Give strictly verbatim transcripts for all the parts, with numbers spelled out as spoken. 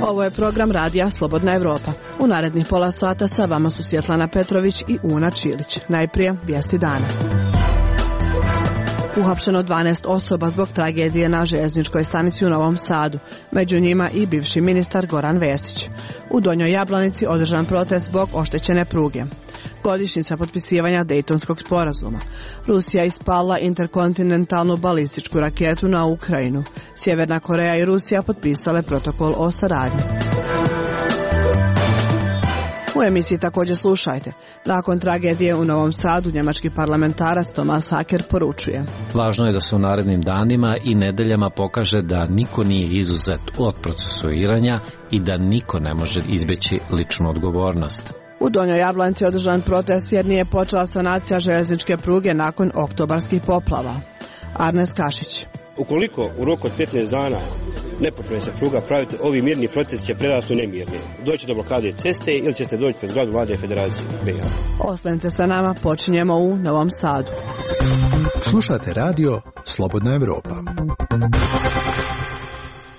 Ovo je program radija Slobodna Evropa. U narednih pola sata sa vama su Svjetlana Petrović i Una Čilić. Najprije vijesti dana. Uhapšeno dvanaest osoba zbog tragedije na željezničkoj stanici u Novom Sadu, među njima i bivši ministar Goran Vesić. U Donjoj Jablanici održan protest zbog oštećene pruge. Godišnjica potpisivanja Dejtonskog sporazuma. Rusija ispalila interkontinentalnu balističku raketu na Ukrajinu. Sjeverna Koreja i Rusija potpisale protokol o saradnji. U emisiji također slušajte. Nakon tragedije u Novom Sadu, njemački parlamentarac Thomas Hacker poručuje: Važno je da se u narednim danima i nedeljama pokaže da niko nije izuzet od procesuiranja i da niko ne može izbjeći ličnu odgovornost. U Donjoj Jablanici je održan protest jer nije počela sanacija željezničke pruge nakon oktobarskih poplava. Arnes Kašić. Ukoliko u roku od petnaest dana ne počne se pruga praviti, ovi mirni protesti će prerasti u nemirni. Doći do blokade ceste ili će se doći pred zgradu Vlade Federacije. Ostanite sa nama, počinjemo u Novom Sadu. Slušate radio Slobodna Evropa.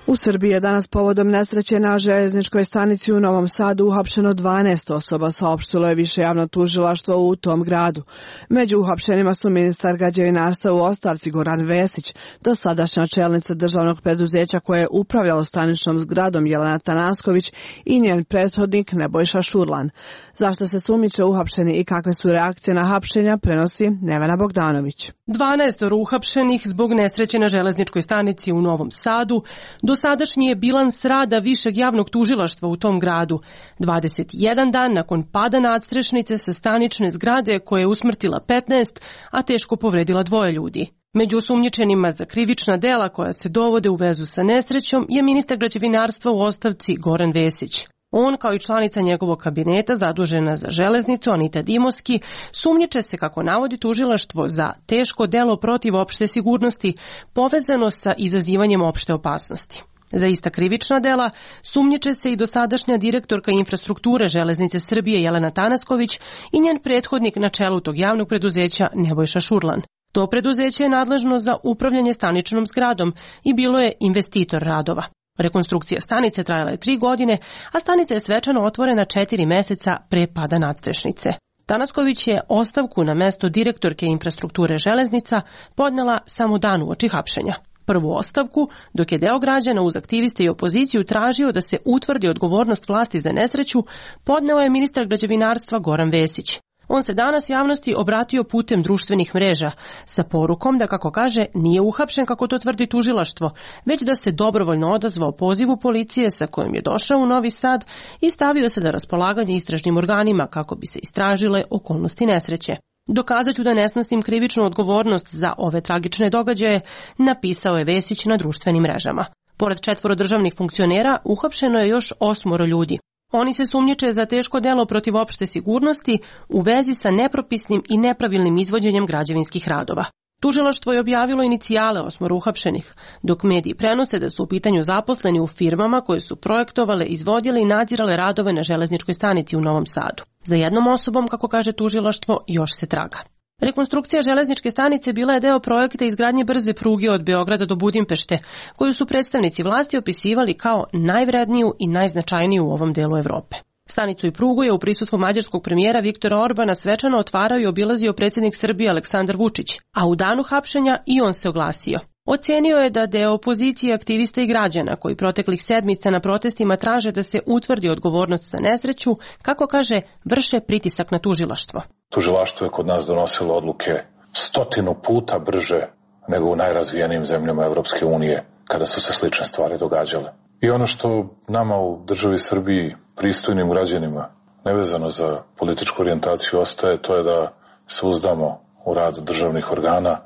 U Srbiji je danas povodom nesreće na željezničkoj stanici u Novom Sadu uhapšeno dvanaest osoba, saopštilo je više javno tužilaštvo u tom gradu. Među uhapšenima su ministar građevinarstva u ostavci Goran Vesić, dosadašnja čelnica državnog preduzeća koje je upravljalo staničnom zgradom Jelena Tanasković i njen prethodnik Nebojša Šurlan. Zašto se sumnjiče uhapšeni i kakve su reakcije na hapšenja, prenosi Nevena Bogdanović. dvanaest uhapšenih zbog nesreće na železničkoj stanici u Novom Sadu. Do sadašnji je bilans rada Višeg javnog tužilaštva u tom gradu. dvadeset jedan dan nakon pada nadstrešnice sa stanične zgrade koje je usmrtila petnaest, a teško povredila dvoje ljudi. Među osumnjičenima za krivična dela koja se dovode u vezu sa nesrećom je ministar građevinarstva u ostavci Goran Vesić. On, kao i članica njegovog kabineta zadužena za železnicu Anita Dimoski, sumnjiče se, kako navodi tužilaštvo, za teško delo protiv opšte sigurnosti povezano sa izazivanjem opšte opasnosti. Za ista krivična dela sumnjiče se i dosadašnja direktorka infrastrukture Železnice Srbije Jelena Tanasković i njen prethodnik na čelu tog javnog preduzeća Nebojša Šurlan. To preduzeće je nadležno za upravljanje staničnom zgradom i bilo je investitor radova. Rekonstrukcija stanice trajala je tri godine, a stanica je svečano otvorena četiri meseca pre pada nadstrešnice. Tanasković je ostavku na mesto direktorke infrastrukture železnica podnela samo dan uoči hapšenja. Prvu ostavku, dok je deo građana uz aktiviste i opoziciju tražio da se utvrdi odgovornost vlasti za nesreću, podneo je ministar građevinarstva Goran Vesić. On se danas javnosti obratio putem društvenih mreža sa porukom da, kako kaže, nije uhapšen kako to tvrdi tužilaštvo, već da se dobrovoljno odazvao pozivu policije sa kojim je došao u Novi Sad i stavio se na raspolaganje istražnim organima kako bi se istražile okolnosti nesreće. Dokazat ću da ne snosim krivičnu odgovornost za ove tragične događaje, napisao je Vesić na društvenim mrežama. Pored četvoro državnih funkcionera, uhapšeno je još osmoro ljudi. Oni se sumnjiče za teško delo protiv opšte sigurnosti u vezi sa nepropisnim i nepravilnim izvođenjem građevinskih radova. Tužilaštvo je objavilo inicijale osmoro uhapšenih, dok mediji prenose da su u pitanju zaposleni u firmama koje su projektovale, izvodile i nadzirale radove na železničkoj stanici u Novom Sadu. Za jednom osobom, kako kaže tužilaštvo, još se traga. Rekonstrukcija železničke stanice bila je deo projekta izgradnje brze pruge od Beograda do Budimpešte, koju su predstavnici vlasti opisivali kao najvredniju i najznačajniju u ovom delu Evrope. Stanicu i prugu je u prisustvu mađarskog premijera Viktora Orbana svečano otvarao i obilazio predsjednik Srbije Aleksandar Vučić, a u danu hapšenja i on se oglasio. Ocenio je da deo opozicije, aktivista i građana koji proteklih sedmica na protestima traže da se utvrdi odgovornost za nesreću, kako kaže, vrše pritisak na tužilaštvo. Tužilaštvo je kod nas donosilo odluke stotinu puta brže nego u najrazvijenijim zemljama Evropske unije kada su se slične stvari događale. I ono što nama u državi Srbiji, pristojnim građanima, nevezano za političku orijentaciju ostaje, to je da se uzdamo u rad državnih organa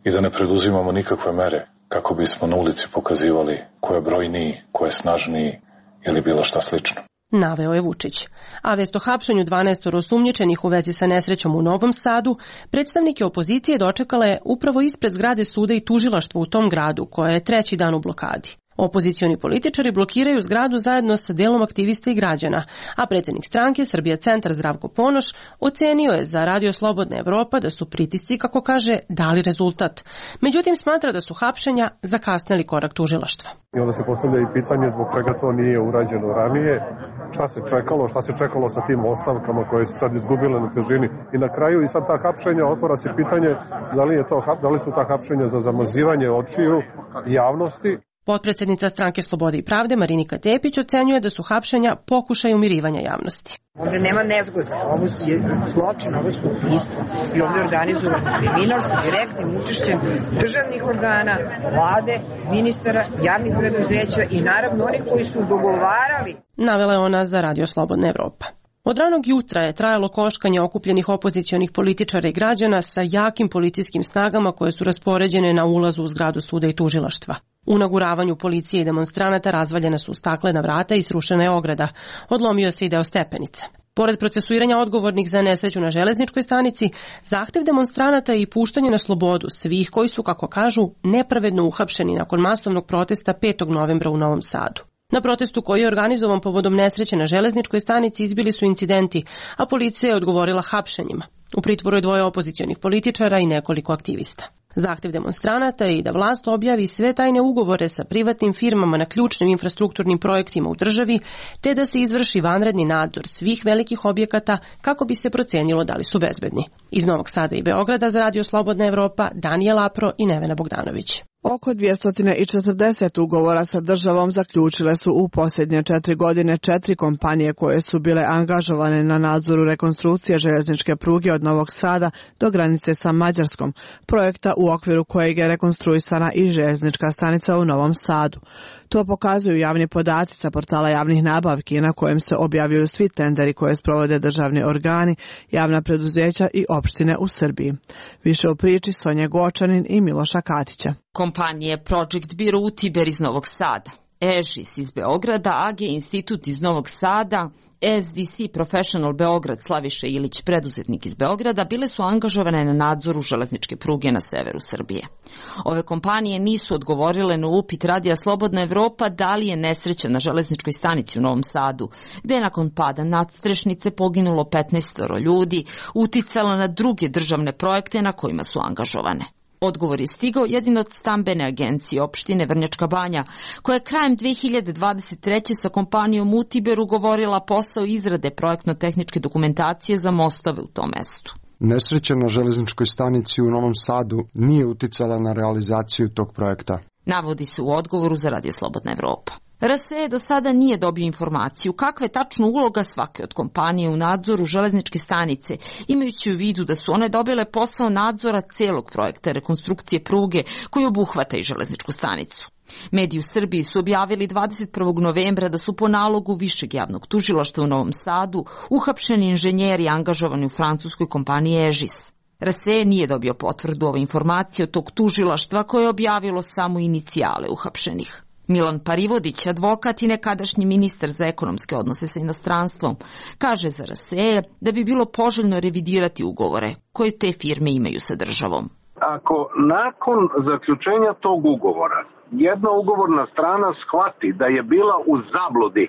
i da ne preduzimamo nikakve mere kako bismo na ulici pokazivali ko je brojniji, ko je snažniji ili bilo šta slično. Naveo je Vučić. A vest o hapšenju dvanaest osumnjičenih u vezi sa nesrećom u Novom Sadu, predstavnike opozicije dočekala je upravo ispred zgrade suda i tužilaštva u tom gradu, koja je treći dan u blokadi. Opozicioni političari blokiraju zgradu zajedno sa delom aktivista i građana, a predsjednik stranke Srbija centar Zdravko Ponoš ocenio je za Radio Slobodna Evropa da su pritisci, kako kaže, dali rezultat. Međutim, smatra da su hapšenja zakasnili korak tužilaštva. I onda se postavlja i pitanje zbog čega to nije urađeno ranije, šta se čekalo, šta se čekalo sa tim ostavkama koje su sad izgubile na težini. I na kraju i sad ta hapšenja, otvara se pitanje da li, je to, da li su ta hapšenja za zamazivanje očiju javnosti. Potpredsjednica stranke Slobode i pravde Marinika Tepić ocenjuje da su hapšenja pokušaj umirivanja javnosti. Ovdje nema nezgode, ovo je zločin, ovo su ubistva i ovdje organizovan kriminal sa direktnim učešćem državnih organa, vlade, ministara, javnih preduzeća i naravno onih koji su dogovarali. Navela je ona za Radio Slobodna Evropa. Od ranog jutra je trajalo koškanje okupljenih opozicionih političara i građana sa jakim policijskim snagama koje su raspoređene na ulazu u zgradu suda i tužilaštva. U naguravanju policije i demonstranata razvaljena su staklena vrata i srušena je ograda. Odlomio se i deo stepenice. Pored procesuiranja odgovornih za nesreću na železničkoj stanici, zahtev demonstranata i puštanje na slobodu svih koji su, kako kažu, nepravedno uhapšeni nakon masovnog protesta petog novembra u Novom Sadu. Na protestu koji je organizovan povodom nesreće na železničkoj stanici izbili su incidenti, a policija je odgovorila hapšenjima. U pritvoru je dvoje opozicionih političara i nekoliko aktivista. Zahtev demonstranata je i da vlast objavi sve tajne ugovore sa privatnim firmama na ključnim infrastrukturnim projektima u državi, te da se izvrši vanredni nadzor svih velikih objekata kako bi se procenilo da li su bezbedni. Iz Novog Sada i Beograda za Radio Slobodna Evropa, Danijel Apro i Nevena Bogdanović. Oko dvjesto četrdeset ugovora sa državom zaključile su u posljednje četiri godine četiri kompanije koje su bile angažovane na nadzoru rekonstrukcije željezničke pruge od Novog Sada do granice sa Mađarskom, projekta u okviru kojeg je rekonstruisana i željeznička stanica u Novom Sadu. To pokazuju javni podaci sa portala javnih nabavki na kojem se objavljuju svi tenderi koje sprovode državni organi, javna preduzeća i opštine u Srbiji. Više u priči Sonje Gočanin i Miloša Katića. Kompanije Project Bureau Utiber iz Novog Sada, Ežis iz Beograda, A G Institut iz Novog Sada, S D C Professional Beograd Slaviše Ilić, preduzetnik iz Beograda, bile su angažovane na nadzoru železničke pruge na severu Srbije. Ove kompanije nisu odgovorile na upit Radija Slobodna Evropa da li je nesreća na železničkoj stanici u Novom Sadu, gde je nakon pada nadstrešnice poginulo petnaest ljudi, uticala na druge državne projekte na kojima su angažovane. Odgovor je stigao jedino od stambene agencije opštine Vrnjačka Banja, koja je krajem dve hiljade dvadeset treće sa kompanijom Utiber ugovorila posao izrade projektno-tehničke dokumentacije za mostove u tom mestu. Nesreća na železničkoj stanici u Novom Sadu nije uticala na realizaciju tog projekta. Navodi se u odgovoru za Radio Slobodna Evropa. R S E do sada nije dobio informaciju kakva je tačno uloga svake od kompanije u nadzoru železničke stanice, imajući u vidu da su one dobile posao nadzora celog projekta rekonstrukcije pruge koji obuhvata i železničku stanicu. Mediji u Srbiji su objavili dvadeset prvog novembra da su po nalogu Višeg javnog tužilaštva u Novom Sadu uhapšeni inženjeri angažovani u francuskoj kompaniji Ežis. R S E nije dobio potvrdu ove informacije od tog tužilaštva koje je objavilo samo inicijale uhapšenih. Milan Parivodić, advokat i nekadašnji ministar za ekonomske odnose sa inostranstvom, kaže za R S E da bi bilo poželjno revidirati ugovore koje te firme imaju sa državom. Ako nakon zaključenja tog ugovora jedna ugovorna strana shvati da je bila u zabludi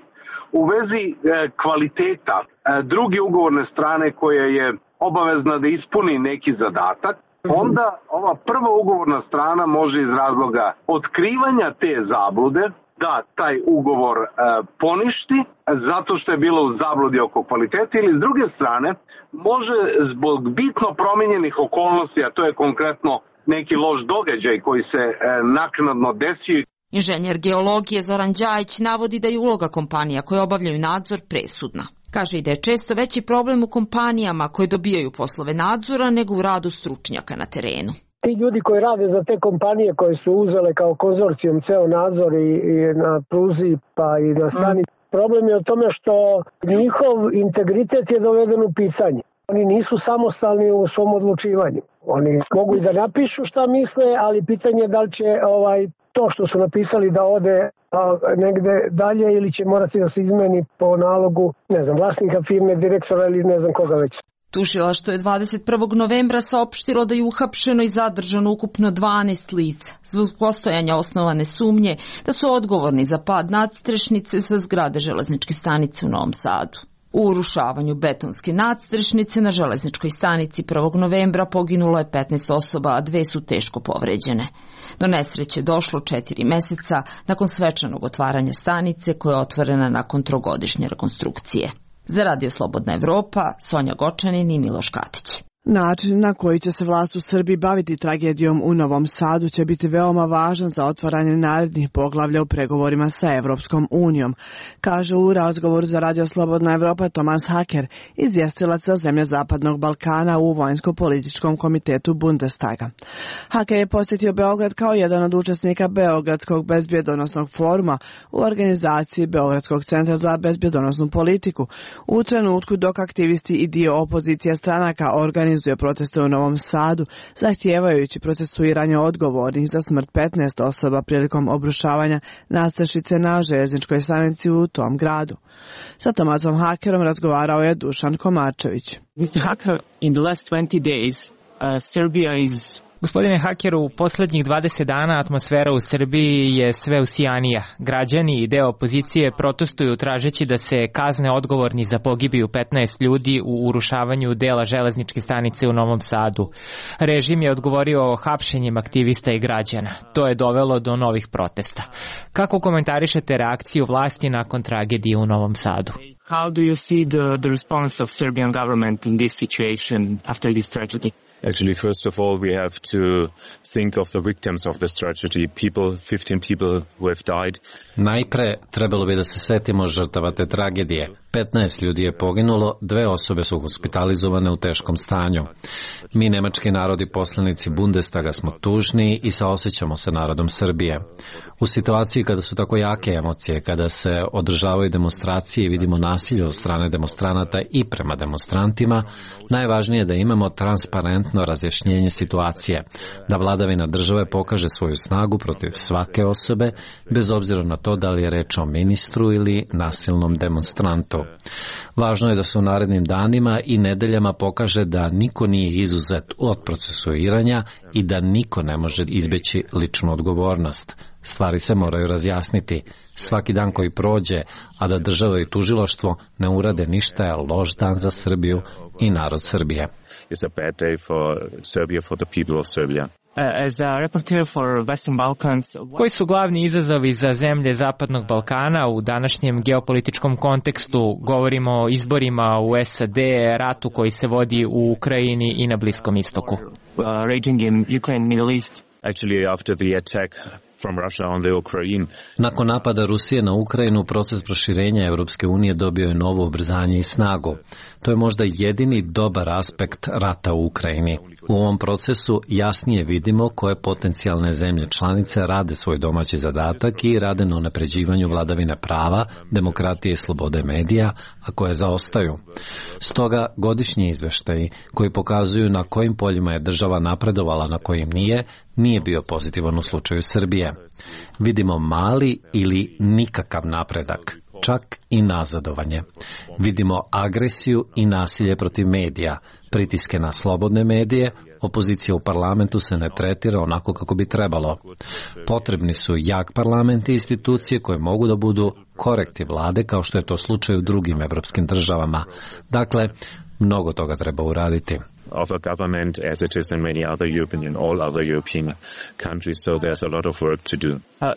u vezi e, kvaliteta e, druge ugovorne strane koja je obavezna da ispuni neki zadatak, onda ova prva ugovorna strana može iz razloga otkrivanja te zablude da taj ugovor e, poništi zato što je bilo u zabludi oko kvaliteta, ili s druge strane može zbog bitno promijenjenih okolnosti, a to je konkretno neki loš događaj koji se e, naknadno desio. Inženjer geologije Zoran Đajić navodi da je uloga kompanija koje obavljaju nadzor presudna. Kaže i da je često veći problem u kompanijama koje dobijaju poslove nadzora nego u radu stručnjaka na terenu. Ti ljudi koji rade za te kompanije koje su uzele kao konzorcijum ceo nadzor i, i na pruzi pa i na stanici, mm. problem je u tome što njihov integritet je doveden u pitanje. Oni nisu samostalni u svom odlučivanju. Oni mogu i da napišu šta misle, ali pitanje je da li će ovaj, to što su napisali da ode a, negde dalje ili će morati da se izmeni po nalogu, ne znam, vlasnika firme, direktora ili ne znam koga već. Tužilaštvo je dvadeset prvog novembra saopštilo da je uhapšeno i zadržano ukupno dvanaest lica zbog postojanja osnovane sumnje da su odgovorni za pad nadstrešnice sa zgrade železničke stanice u Novom Sadu. U urušavanju betonske nadstrešnice na železničkoj stanici prvog novembra poginulo je petnaest osoba, a dve su teško povređene. Do nesreće došlo četiri meseca nakon svečanog otvaranja stanice koja je otvorena nakon trogodišnje rekonstrukcije. Za Radio Slobodna Evropa, Sonja Gočanin i Miloš Katić. Način na koji će se vlast u Srbiji baviti tragedijom u Novom Sadu će biti veoma važan za otvaranje narednih poglavlja u pregovorima sa Evropskom unijom, kaže u razgovoru za Radio Slobodna Evropa Tomas Haker, izvjestilac za zemlje Zapadnog Balkana u Vojnsko-političkom komitetu Bundestaga. Haker je posjetio Beograd kao jedan od učesnika Beogradskog bezbjedonosnog foruma u organizaciji Beogradskog centra za bezbjedonosnu politiku, u trenutku dok aktivisti i dio opozicije stranaka organizuju proteste u Novom Sadu, zahtijevajući procesuiranje odgovornih za smrt petnaest osoba prilikom obrušavanja nadstrešnice na željezničkoj stanici u tom gradu. Sa Tomasom Hakerom razgovarao je Dušan Komačević. mister Haker, in the last twenty days, uh, Serbia is Gospodine Hakeru, u posljednjih dvadeset dana atmosfera u Srbiji je sve usijanija. Građani i deo opozicije protestuju tražeći da se kazne odgovorni za pogibiju petnaest ljudi u urušavanju dela železničke stanice u Novom Sadu. Režim je odgovorio hapšenjem aktivista i građana. To je dovelo do novih protesta. Kako komentarišete reakciju vlasti nakon tragedije u Novom Sadu? How do you see the, the response of Serbian government in this situation after this tragedy? Actually, first of all, we have to think of the victims of this tragedy, people, fifteen people who have died. Najpre trebalo bi da se setimo žrtava te tragedije. petnaest ljudi je poginulo, dve osobe su hospitalizovane u teškom stanju. Mi, nemački narodi poslanici Bundestaga, smo tužni i saosećamo se narodom Srbije. U situaciji kada su tako jake emocije, kada se održavaju demonstracije i vidimo nasilje od strane demonstranata i prema demonstrantima, najvažnije je da imamo transparentno razjašnjenje situacije, da vladavina države pokaže svoju snagu protiv svake osobe, bez obzira na to da li je reč o ministru ili nasilnom demonstrantu. Važno je da se u narednim danima i nedeljama pokaže da niko nije izuzet od procesuiranja i da niko ne može izbeći ličnu odgovornost. Stvari se moraju razjasniti. Svaki dan koji prođe, a da država i tužilaštvo ne urade ništa, je loš dan za Srbiju i narod Srbije. It's a bad day for Serbia, for the people of Serbia. As a reporter for Western Balkans, koji su glavni izazovi za zemlje Zapadnog Balkana u današnjem geopolitičkom kontekstu? Govorimo o izborima u S A D, ratu koji se vodi u Ukrajini i na Bliskom istoku. Uh, raging in Ukraine, Middle East. Actually, after the attack from Russia on the Ukraine. Nakon napada Rusije na Ukrajinu, proces proširenja Evropske unije dobio je novo ubrzanje i snagu. To je možda jedini dobar aspekt rata u Ukrajini. U ovom procesu jasnije vidimo koje potencijalne zemlje članice rade svoj domaći zadatak i rade na unapređivanju vladavine prava, demokratije i slobode medija, a koje zaostaju. Stoga godišnji izveštaji koji pokazuju na kojim poljima je država napredovala, na kojim nije, nije bio pozitivan u slučaju Srbije. Vidimo mali ili nikakav napredak, čak i nazadovanje. Vidimo agresiju i nasilje protiv medija, pritiske na slobodne medije, opozicija u parlamentu se ne tretira onako kako bi trebalo. Potrebni su jak parlament i institucije koje mogu da budu korektiv vlade, kao što je to slučaj u drugim evropskim državama. Dakle, mnogo toga treba uraditi. Of a government as it is in many other European and all other European countries, so there's a lot of work to do. Uh,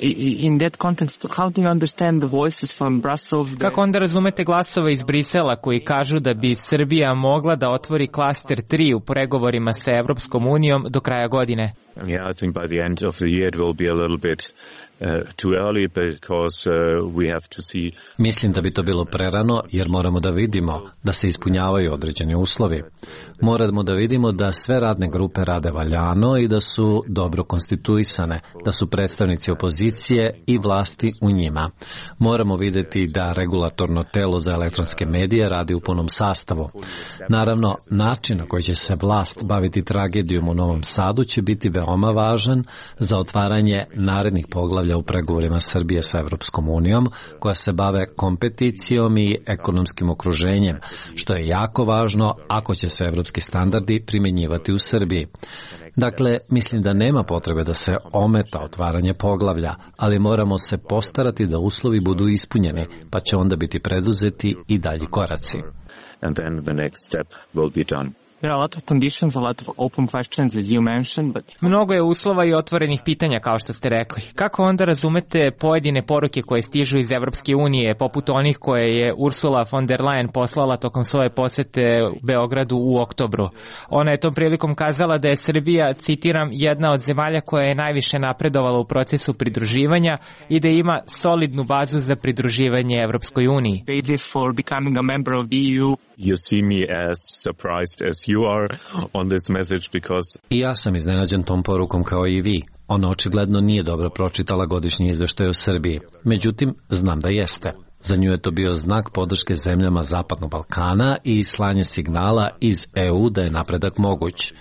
in that context, how do you understand the voices from Brussels? Kako onda razumete glasove iz Brisela koji kažu da bi Srbija mogla da otvori klaster tri u pregovorima sa Evropskom unijom do kraja godine? Yeah, I think by the end of the year it will be a little bit Uh, too early because uh, we have to see. Mislim da bi to bilo prerano jer moramo da vidimo da se ispunjavaju određeni uslovi. Moramo da vidimo da sve radne grupe rade valjano i da su dobro konstituisane, da su predstavnici opozicije i vlasti u njima. Moramo vidjeti da regulatorno telo za elektronske medije radi u punom sastavu. Naravno, način na koji će se vlast baviti tragedijom u Novom Sadu će biti veoma veoma važan za otvaranje narednih poglavlja u pregovorima Srbije sa Evropskom unijom, koja se bave kompeticijom i ekonomskim okruženjem, što je jako važno ako će se evropski standardi primjenjivati u Srbiji. Dakle, mislim da nema potrebe da se ometa otvaranje poglavlja, ali moramo se postarati da uslovi budu ispunjeni, pa će onda biti preduzeti i dalji koraci. And then the next step will be done. There are a lot of conditions, a lot of open questions as you mentioned, but... Mnogo je uslova i otvorenih pitanja, kao što ste rekli. Kako onda razumete pojedine poruke koje stižu iz Evropske unije, poput onih koje je Ursula von der Leyen poslala tokom svoje posete u Beogradu u oktobru? Ona je tom prilikom kazala da je Srbija, citiram, jedna od zemalja koja je najviše napredovala u procesu pridruživanja i da ima solidnu bazu za pridruživanje Evropskoj uniji. For becoming a member of the E U. You see me as surprised as you are on this message because... I ja sam iznenađen tom porukom kao i vi. Ona očigledno nije dobro pročitala godišnji izveštaj o Srbiji. Međutim, znam da jeste. Za nju je to bio znak podrške zemljama Zapadnog Balkana i slanje signala iz E U da je napredak moguć.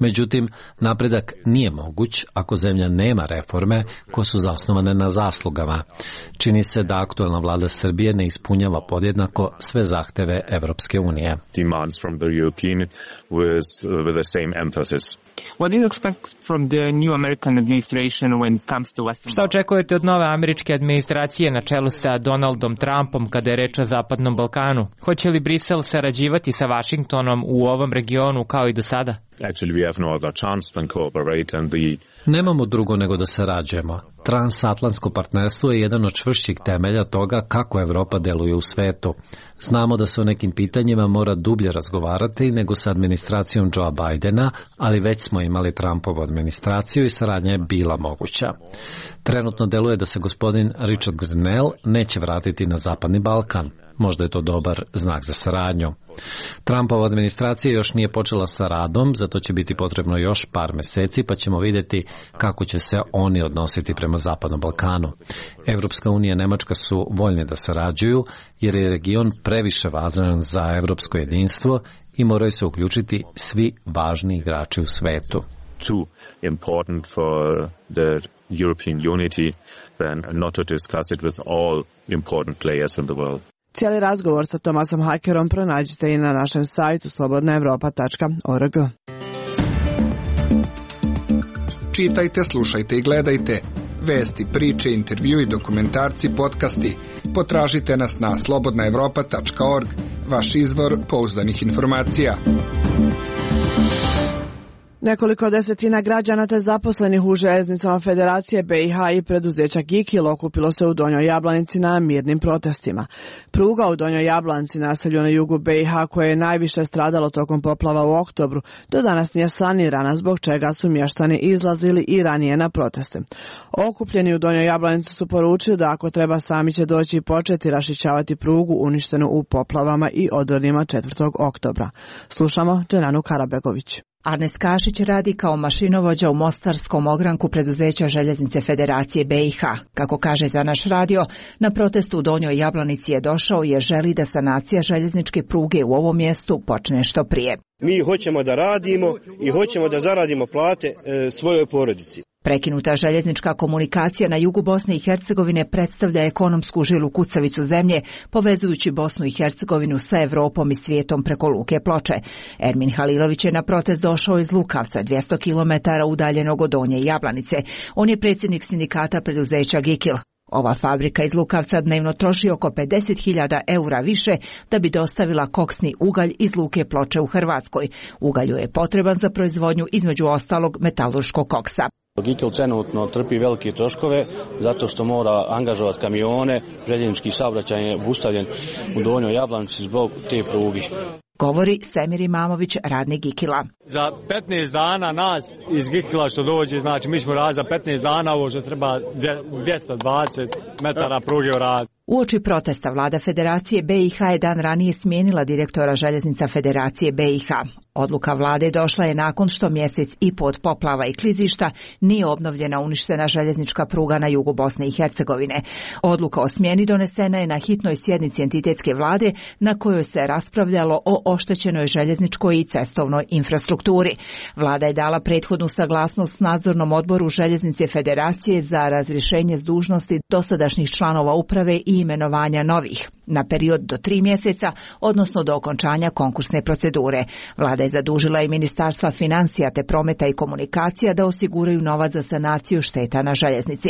Međutim, napredak nije moguć ako zemlja nema reforme koje su zasnovane na zaslugama. Čini se da aktuelna vlada Srbije ne ispunjava podjednako sve zahteve Evropske unije. Demands from the European with, with the same emphasis. What do you expect from the new American administration when it comes to Western... Šta očekujete od nove američke administracije na čelu sa Donaldom Trumpom kada je reč o Zapadnom Balkanu? Hoće li Brisel sarađivati sa Vašingtonom u ovom regionu kao i do sada? Actually, we have no other chance than cooperate and the... Nemamo drugo nego da sarađujemo. Transatlantsko partnerstvo je jedan od čvršćih temelja toga kako Evropa deluje u svetu. Znamo da se o nekim pitanjima mora dublje razgovarati nego sa administracijom Joea Bidena, ali već smo imali Trumpovu administraciju i saradnja je bila moguća. Trenutno deluje da se gospodin Richard Grenell neće vratiti na Zapadni Balkan. Možda je to dobar znak za saradnju. Trumpova administracija još nije počela sa radom, zato će biti potrebno još par meseci, pa ćemo vidjeti kako će se oni odnositi prema Zapadnom Balkanu. Evropska unija i Nemačka su voljni da sarađuju, jer je region previše važan za evropsko jedinstvo i moraju se uključiti svi važni igrači u svetu. Too important for the European unity than not to discuss it with all important players in the world. Cijeli razgovor sa Tomasom Hakerom pronađite i na našem sajtu slobodna evropa tačka org. Čitajte, slušajte i gledajte. Vesti, priče, intervju i dokumentarci, podcasti. Potražite nas na slobodna evropa tačka org, vaš izvor pouzdanih informacija. Nekoliko desetina građana te zaposlenih u željeznicama Federacije B i H i preduzeća Gikil okupilo se u Donjoj Jablanici na mirnim protestima. Pruga u Donjoj Jablanici, naselju na jugu B i H, koje je najviše stradalo tokom poplava u oktobru, do danas nije sanirana, zbog čega su mještani izlazili i ranije na proteste. Okupljeni u Donjoj Jablanici su poručili da ako treba sami će doći i početi rašićavati prugu uništenu u poplavama i odronima četvrtog oktobra. Slušamo Dženanu Karabegović. Arnes Kašić radi kao mašinovođa u mostarskom ogranku preduzeća Željeznice Federacije B i H. Kako kaže za naš radio, na protestu u Donjoj Jablanici je došao jer želi da sanacija željezničke pruge u ovom mjestu počne što prije. Mi hoćemo da radimo i hoćemo da zaradimo plate e, svojoj porodici. Prekinuta željeznička komunikacija na jugu Bosne i Hercegovine predstavlja ekonomsku žilu kucavicu zemlje, povezujući Bosnu i Hercegovinu sa Evropom i svijetom preko Luke Ploče. Ermin Halilović je na protest došao iz Lukavca, dvjesto kilometara udaljenog od Donje Jablanice. On je predsjednik sindikata preduzeća Gikil. Ova fabrika iz Lukavca dnevno troši oko pedeset hiljada eura više da bi dostavila koksni ugalj iz Luke Ploče u Hrvatskoj. Ugalju je potreban za proizvodnju između ostalog metalurškog koksa. Gikil trenutno trpi velike troškove zato što mora angažovati kamione, željeznički saobraćaj je obustavljen u Donjoj Jablanici zbog te pruge. Govori Semir Imamović, radnik Gikila. Za petnaest dana nas iz Gikila što dođe, znači mi ćemo raditi za petnaest dana ovo što treba dvjesto dvadeset metara pruge u rad. Uoči protesta vlada Federacije B i H je dan ranije smijenila direktora željeznica Federacije B i H. Odluka vlade došla je nakon što mjesec i po od poplava i klizišta nije obnovljena uništena željeznička pruga na jugu Bosne i Hercegovine. Odluka o smjeni donesena je na hitnoj sjednici entitetske vlade na kojoj se raspravljalo o oštećenoj željezničkoj i cestovnoj infrastrukturi. Vlada je dala prethodnu saglasnost nadzornom odboru Željeznice Federacije za razrješenje s dužnosti dosadašnjih članova uprave i imenovanja novih na period do tri mjeseca, odnosno do okončanja konkursne procedure. Vlada je zadužila i Ministarstva financija te prometa i komunikacija da osiguraju novac za sanaciju šteta na željeznici.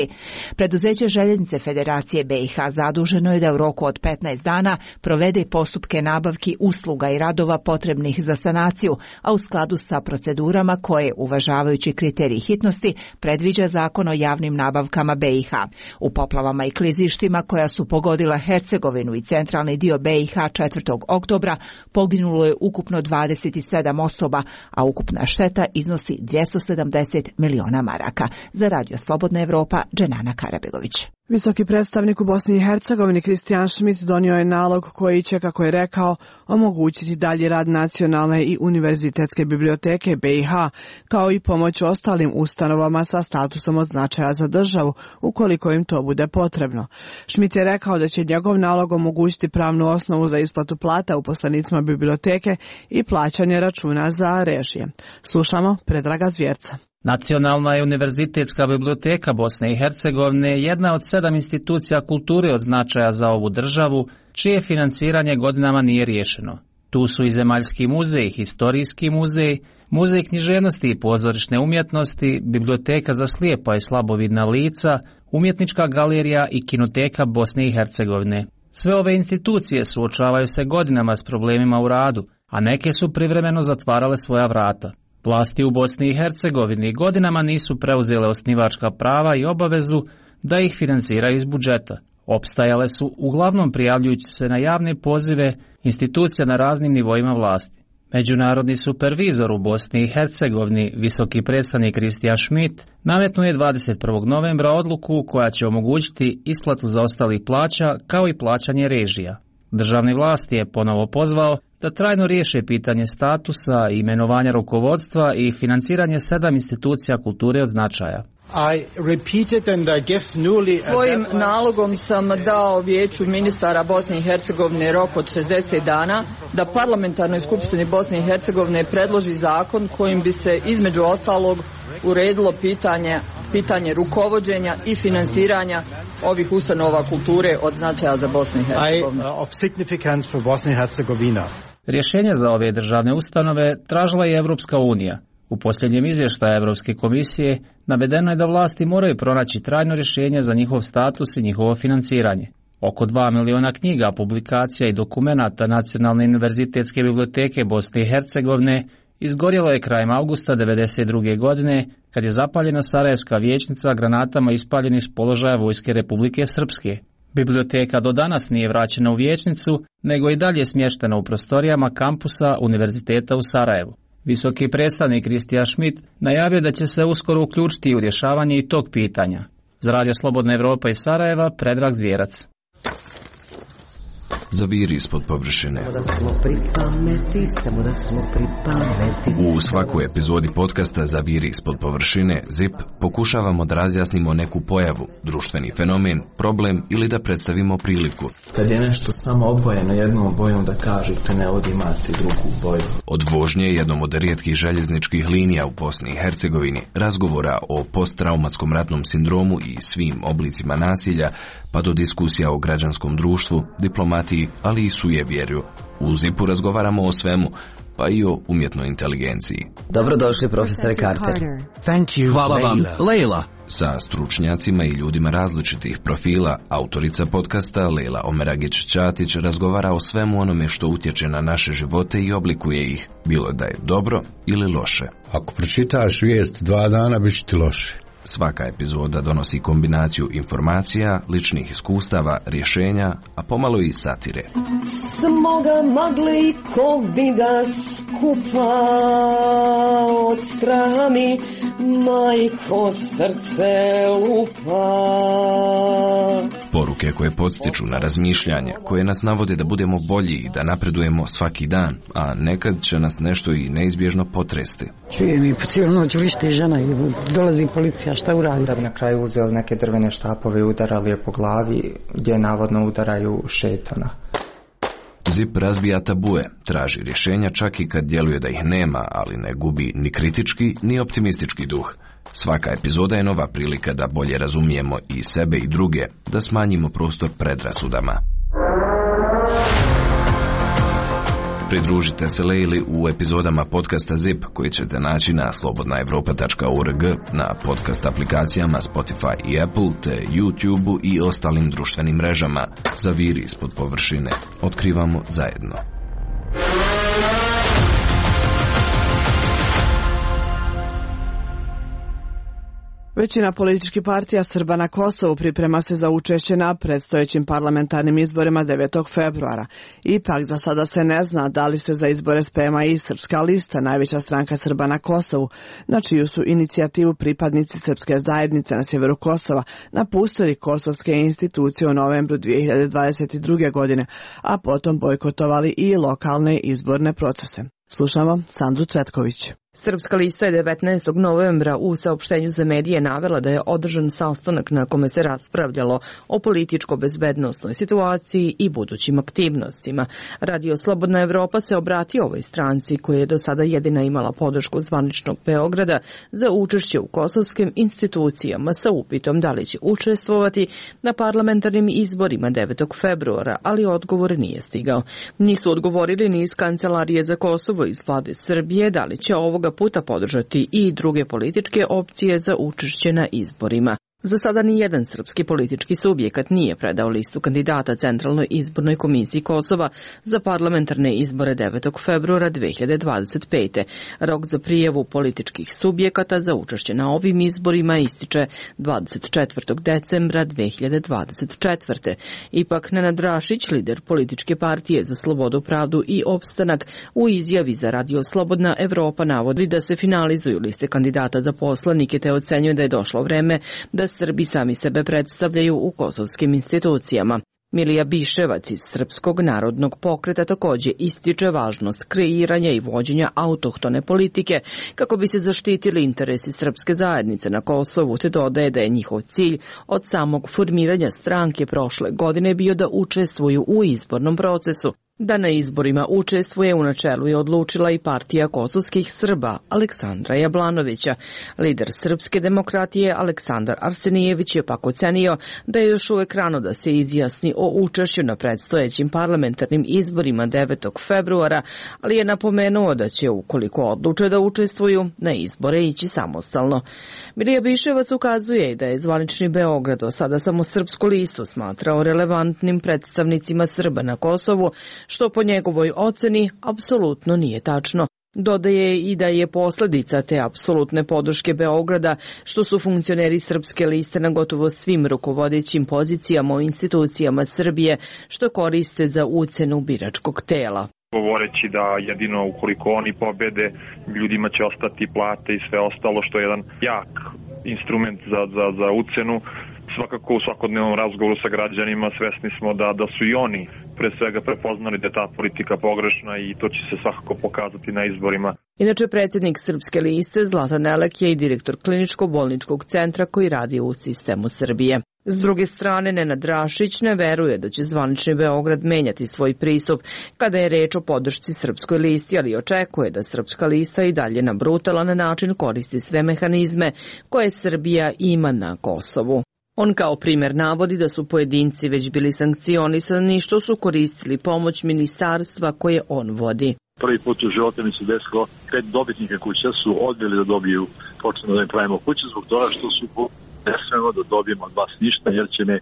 Preduzeće Željeznice Federacije B i H zaduženo je da u roku od petnaest dana provede postupke nabavki usluga i radova potrebnih za sanaciju, a u skladu sa procedurama koje, uvažavajući kriterij hitnosti, predviđa Zakon o javnim nabavkama B i H. U poplavama i klizištima koja su pogodila Hercegovinu i centralni dio B i H četvrtog oktobra poginulo je ukupno dvadeset sedam osoba, a ukupna šteta iznosi dvjesto sedamdeset miliona maraka. Za Radio Slobodna Evropa, Dženana Karabegović. Visoki predstavnik u Bosni i Hercegovini Kristijan Schmidt donio je nalog koji će, kako je rekao, omogućiti dalji rad nacionalne i univerzitetske biblioteke B i H, kao i pomoć ostalim ustanovama sa statusom od značaja za državu, ukoliko im to bude potrebno. Schmidt je rekao da će njegov nalog omogućiti pravnu osnovu za isplatu plata uposlenicima biblioteke i plaćanje računa za režije. Slušamo Predraga Zvjerca. Nacionalna i univerzitetska biblioteka Bosne i Hercegovine je jedna od sedam institucija kulture od značaja za ovu državu, čije financiranje godinama nije riješeno. Tu su i Zemaljski muzej, Historijski muzej, Muzej književnosti i pozorišne umjetnosti, Biblioteka za slijepa i slabovidna lica, Umjetnička galerija i Kinoteka Bosne i Hercegovine. Sve ove institucije suočavaju se godinama s problemima u radu, a neke su privremeno zatvarale svoja vrata. Vlasti u Bosni i Hercegovini godinama nisu preuzele osnivačka prava i obavezu da ih financiraju iz budžeta. Opstajale su uglavnom prijavljujući se na javne pozive institucija na raznim nivoima vlasti. Međunarodni supervizor u Bosni i Hercegovini, visoki predstavnik Kristijan Schmidt, nametnuo je dvadeset prvog novembra odluku koja će omogućiti isplatu zaostalih plaća kao i plaćanje režija. Državni vlasti je ponovo pozvao da trajno riješe pitanje statusa, imenovanja rukovodstva i financiranje sedam institucija kulture od značaja. Svojim nalogom sam dao Vijeću ministara Bosne i Hercegovine rok od šezdeset dana da Parlamentarnoj skupštini Bosne i Hercegovine predloži zakon kojim bi se između ostalog uredilo pitanje, pitanje rukovođenja i financiranja ovih ustanova kulture od značaja za Bosnu i Hercegovinu. Rješenje za ove državne ustanove tražila je Evropska unija. U posljednjem izvještaju Evropske komisije navedeno je da vlasti moraju pronaći trajno rješenje za njihov status i njihovo financiranje. Oko dva miliona knjiga, publikacija i dokumenata Nacionalne univerzitetske biblioteke Bosne i Hercegovine izgorjelo je krajem avgusta devedeset druge godine kad je zapaljena Sarajevska vijećnica granatama ispaljenih s položaja Vojske Republike Srpske. Biblioteka do danas nije vraćena u vijećnicu, nego i dalje smještena u prostorijama kampusa Univerziteta u Sarajevu. Visoki predstavnik Kristijan Schmidt najavio da će se uskoro uključiti u rješavanje i tog pitanja. Za Radio Slobodna Evropa iz Sarajeva, Predrag Zvjerac. Zaviri ispod površine. U svakoj epizodi podcasta Zaviri ispod površine ZIP pokušavamo da razjasnimo neku pojavu, društveni fenomen, problem ili da predstavimo priliku. Kad je nešto samo obojeno jednom bojom da kažete ne ovdje imate drugu boju. Od vožnje jednom od rijetkih željezničkih linija u Bosni i Hercegovini, razgovora o posttraumatskom ratnom sindromu i svim oblicima nasilja, pa do diskusija o građanskom društvu, diplomatiji, ali i sujevjerju. U ZIP-u razgovaramo o svemu, pa i o umjetnoj inteligenciji. Dobrodošli, profesore Carter. Thank you, hvala vam, Leila. Sa stručnjacima i ljudima različitih profila, autorica podcasta Leila Omeragić-Ćatić razgovara o svemu onome što utječe na naše živote i oblikuje ih, bilo da je dobro ili loše. Ako pročitaš vijest dva dana, bit će ti loše. Svaka epizoda donosi kombinaciju informacija, ličnih iskustava, rješenja, a pomalo i satire. Smoga magli ko bi da skupa od straha mi majko srce lupa. Poruke koje podstiču na razmišljanje, koje nas navode da budemo bolji i da napredujemo svaki dan, a nekad će nas nešto i neizbježno potresti. Čujem i po cijelu noć vrišti žena i dolazi policija, šta uradi? Da bi na kraju uzeli neke drvene štapove i udarali je po glavi gdje navodno udaraju šetana. Z I P razbija tabue, traži rješenja čak i kad djeluje da ih nema, ali ne gubi ni kritički ni optimistički duh. Svaka epizoda je nova prilika da bolje razumijemo i sebe i druge, da smanjimo prostor predrasudama. Pridružite se Lejli u epizodama podcasta Z I P koji ćete naći na slobodna evropa tačka org, na podcast aplikacijama Spotify i Apple, te YouTube-u i ostalim društvenim mrežama. Zaviri ispod površine. Otkrivamo zajedno. Većina političkih partija Srba na Kosovu priprema se za učešće na predstojećim parlamentarnim izborima devetog februara. Ipak za sada se ne zna da li se za izbore sprema i Srpska lista, najveća stranka Srba na Kosovu, na čiju su inicijativu pripadnici srpske zajednice na sjeveru Kosova napustili kosovske institucije u novembru dvije hiljade dvadeset druge. godine, a potom bojkotovali i lokalne izborne procese. Slušamo Sandru Cvetković. Srpska lista je devetnaestog novembra u saopštenju za medije navela da je održan sastanak na kome se raspravljalo o političko-bezbednosnoj situaciji i budućim aktivnostima. Radio Slobodna Evropa se obratio ovoj stranci koja je do sada jedina imala podršku zvaničnog Beograda za učešće u kosovskim institucijama sa upitom da li će učestvovati na parlamentarnim izborima devetog februara, ali odgovor nije stigao. Nisu odgovorili ni iz Kancelarije za Kosovo iz vlade Srbije da li će ovo puta podržati i druge političke opcije za učešće na izborima. Za sada ni jedan srpski politički subjekat nije predao listu kandidata Centralnoj izbornoj komisiji Kosova za parlamentarne izbore devetog februara dvije hiljade dvadeset pete. Rok za prijavu političkih subjekata za učešće na ovim izborima ističe dvadeset četvrtog decembra dvije hiljade dvadeset četvrte. Ipak Nenad Rašić, lider političke partije za slobodu, pravdu i opstanak, u izjavi za Radio Slobodna Evropa navodi da se finalizuju liste kandidata za poslanike te ocenjuje da je došlo vreme da Srbi sami sebe predstavljaju u kosovskim institucijama. Milija Biševac iz Srpskog narodnog pokreta također ističe važnost kreiranja i vođenja autohtone politike kako bi se zaštitili interesi srpske zajednice na Kosovu, te dodaje da je njihov cilj od samog formiranja stranke prošle godine bio da učestvuju u izbornom procesu. Da na izborima učestvuje u načelu je odlučila i partija kosovskih Srba Aleksandra Jablanovića. Lider Srpske demokratije Aleksandar Arsenijević je pak ocenio da je još uvek rano da se izjasni o učešću na predstojećim parlamentarnim izborima devetog februara, ali je napomenuo da će, ukoliko odluče da učestvuju, na izbore ići samostalno. Milija Biševac ukazuje da je zvanični Beograd do sada samo Srpsku listu smatrao relevantnim predstavnicima Srba na Kosovu, što po njegovoj oceni apsolutno nije tačno. Dodaje i da je posljedica te apsolutne podrške Beograda što su funkcioneri Srpske liste na gotovo svim rukovodećim pozicijama u institucijama Srbije što koriste za ucenu biračkog tela. Govoreći da jedino ukoliko oni pobede, ljudima će ostati plate i sve ostalo, što je jedan jak instrument za, za, za ucenu. Svakako u svakodnevnom razgovoru sa građanima svesni smo da, da su i oni pre svega prepoznali da je ta politika pogrešna i to će se svakako pokazati na izborima. Inače, predsjednik Srpske liste Zlatan Elek je i direktor kliničko-bolničkog centra koji radi u sistemu Srbije. S druge strane, Nenad Rašić ne veruje da će zvanični Beograd menjati svoj pristup kada je reč o podršci Srpskoj listi, ali očekuje da Srpska lista i dalje na brutalan način koristi sve mehanizme koje Srbija ima na Kosovu. On kao primjer navodi da su pojedinci već bili sankcionisani što su koristili pomoć ministarstva koje on vodi. Prvi put u životu mi se desilo, pet dobitnika kuća su odbili da dobiju, počnemo da im pravimo kuće zbog toga što su nesmeno da dobijemo od vas ništa jer će me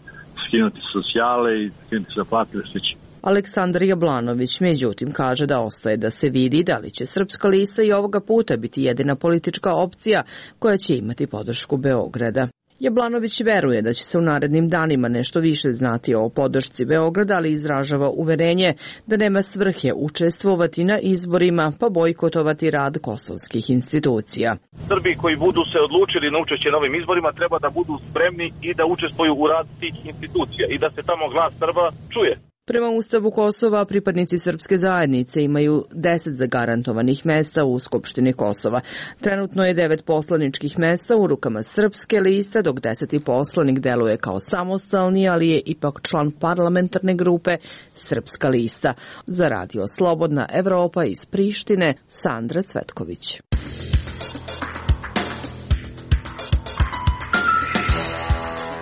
skinuti socijale i skinuti za plate i slično. Aleksandar Jablanović međutim kaže da ostaje da se vidi da li će Srpska lista i ovoga puta biti jedina politička opcija koja će imati podršku Beograda. Jablanović veruje da će se u narednim danima nešto više znati o podršci Beograda, ali izražava uverenje da nema svrhe učestvovati na izborima pa bojkotovati rad kosovskih institucija. Srbi koji budu se odlučili na učešće na ovim izborima treba da budu spremni i da učestvuju u rad tih institucija i da se tamo glas Srba čuje. Prema Ustavu Kosova, pripadnici srpske zajednice imaju deset zagarantovanih mesta u Skupštini Kosova. Trenutno je devet poslaničkih mesta u rukama srpske liste, dok deseti poslanik deluje kao samostalni, ali je ipak član parlamentarne grupe Srpska lista. Za radio Slobodna Evropa iz Prištine, Sandra Cvetković.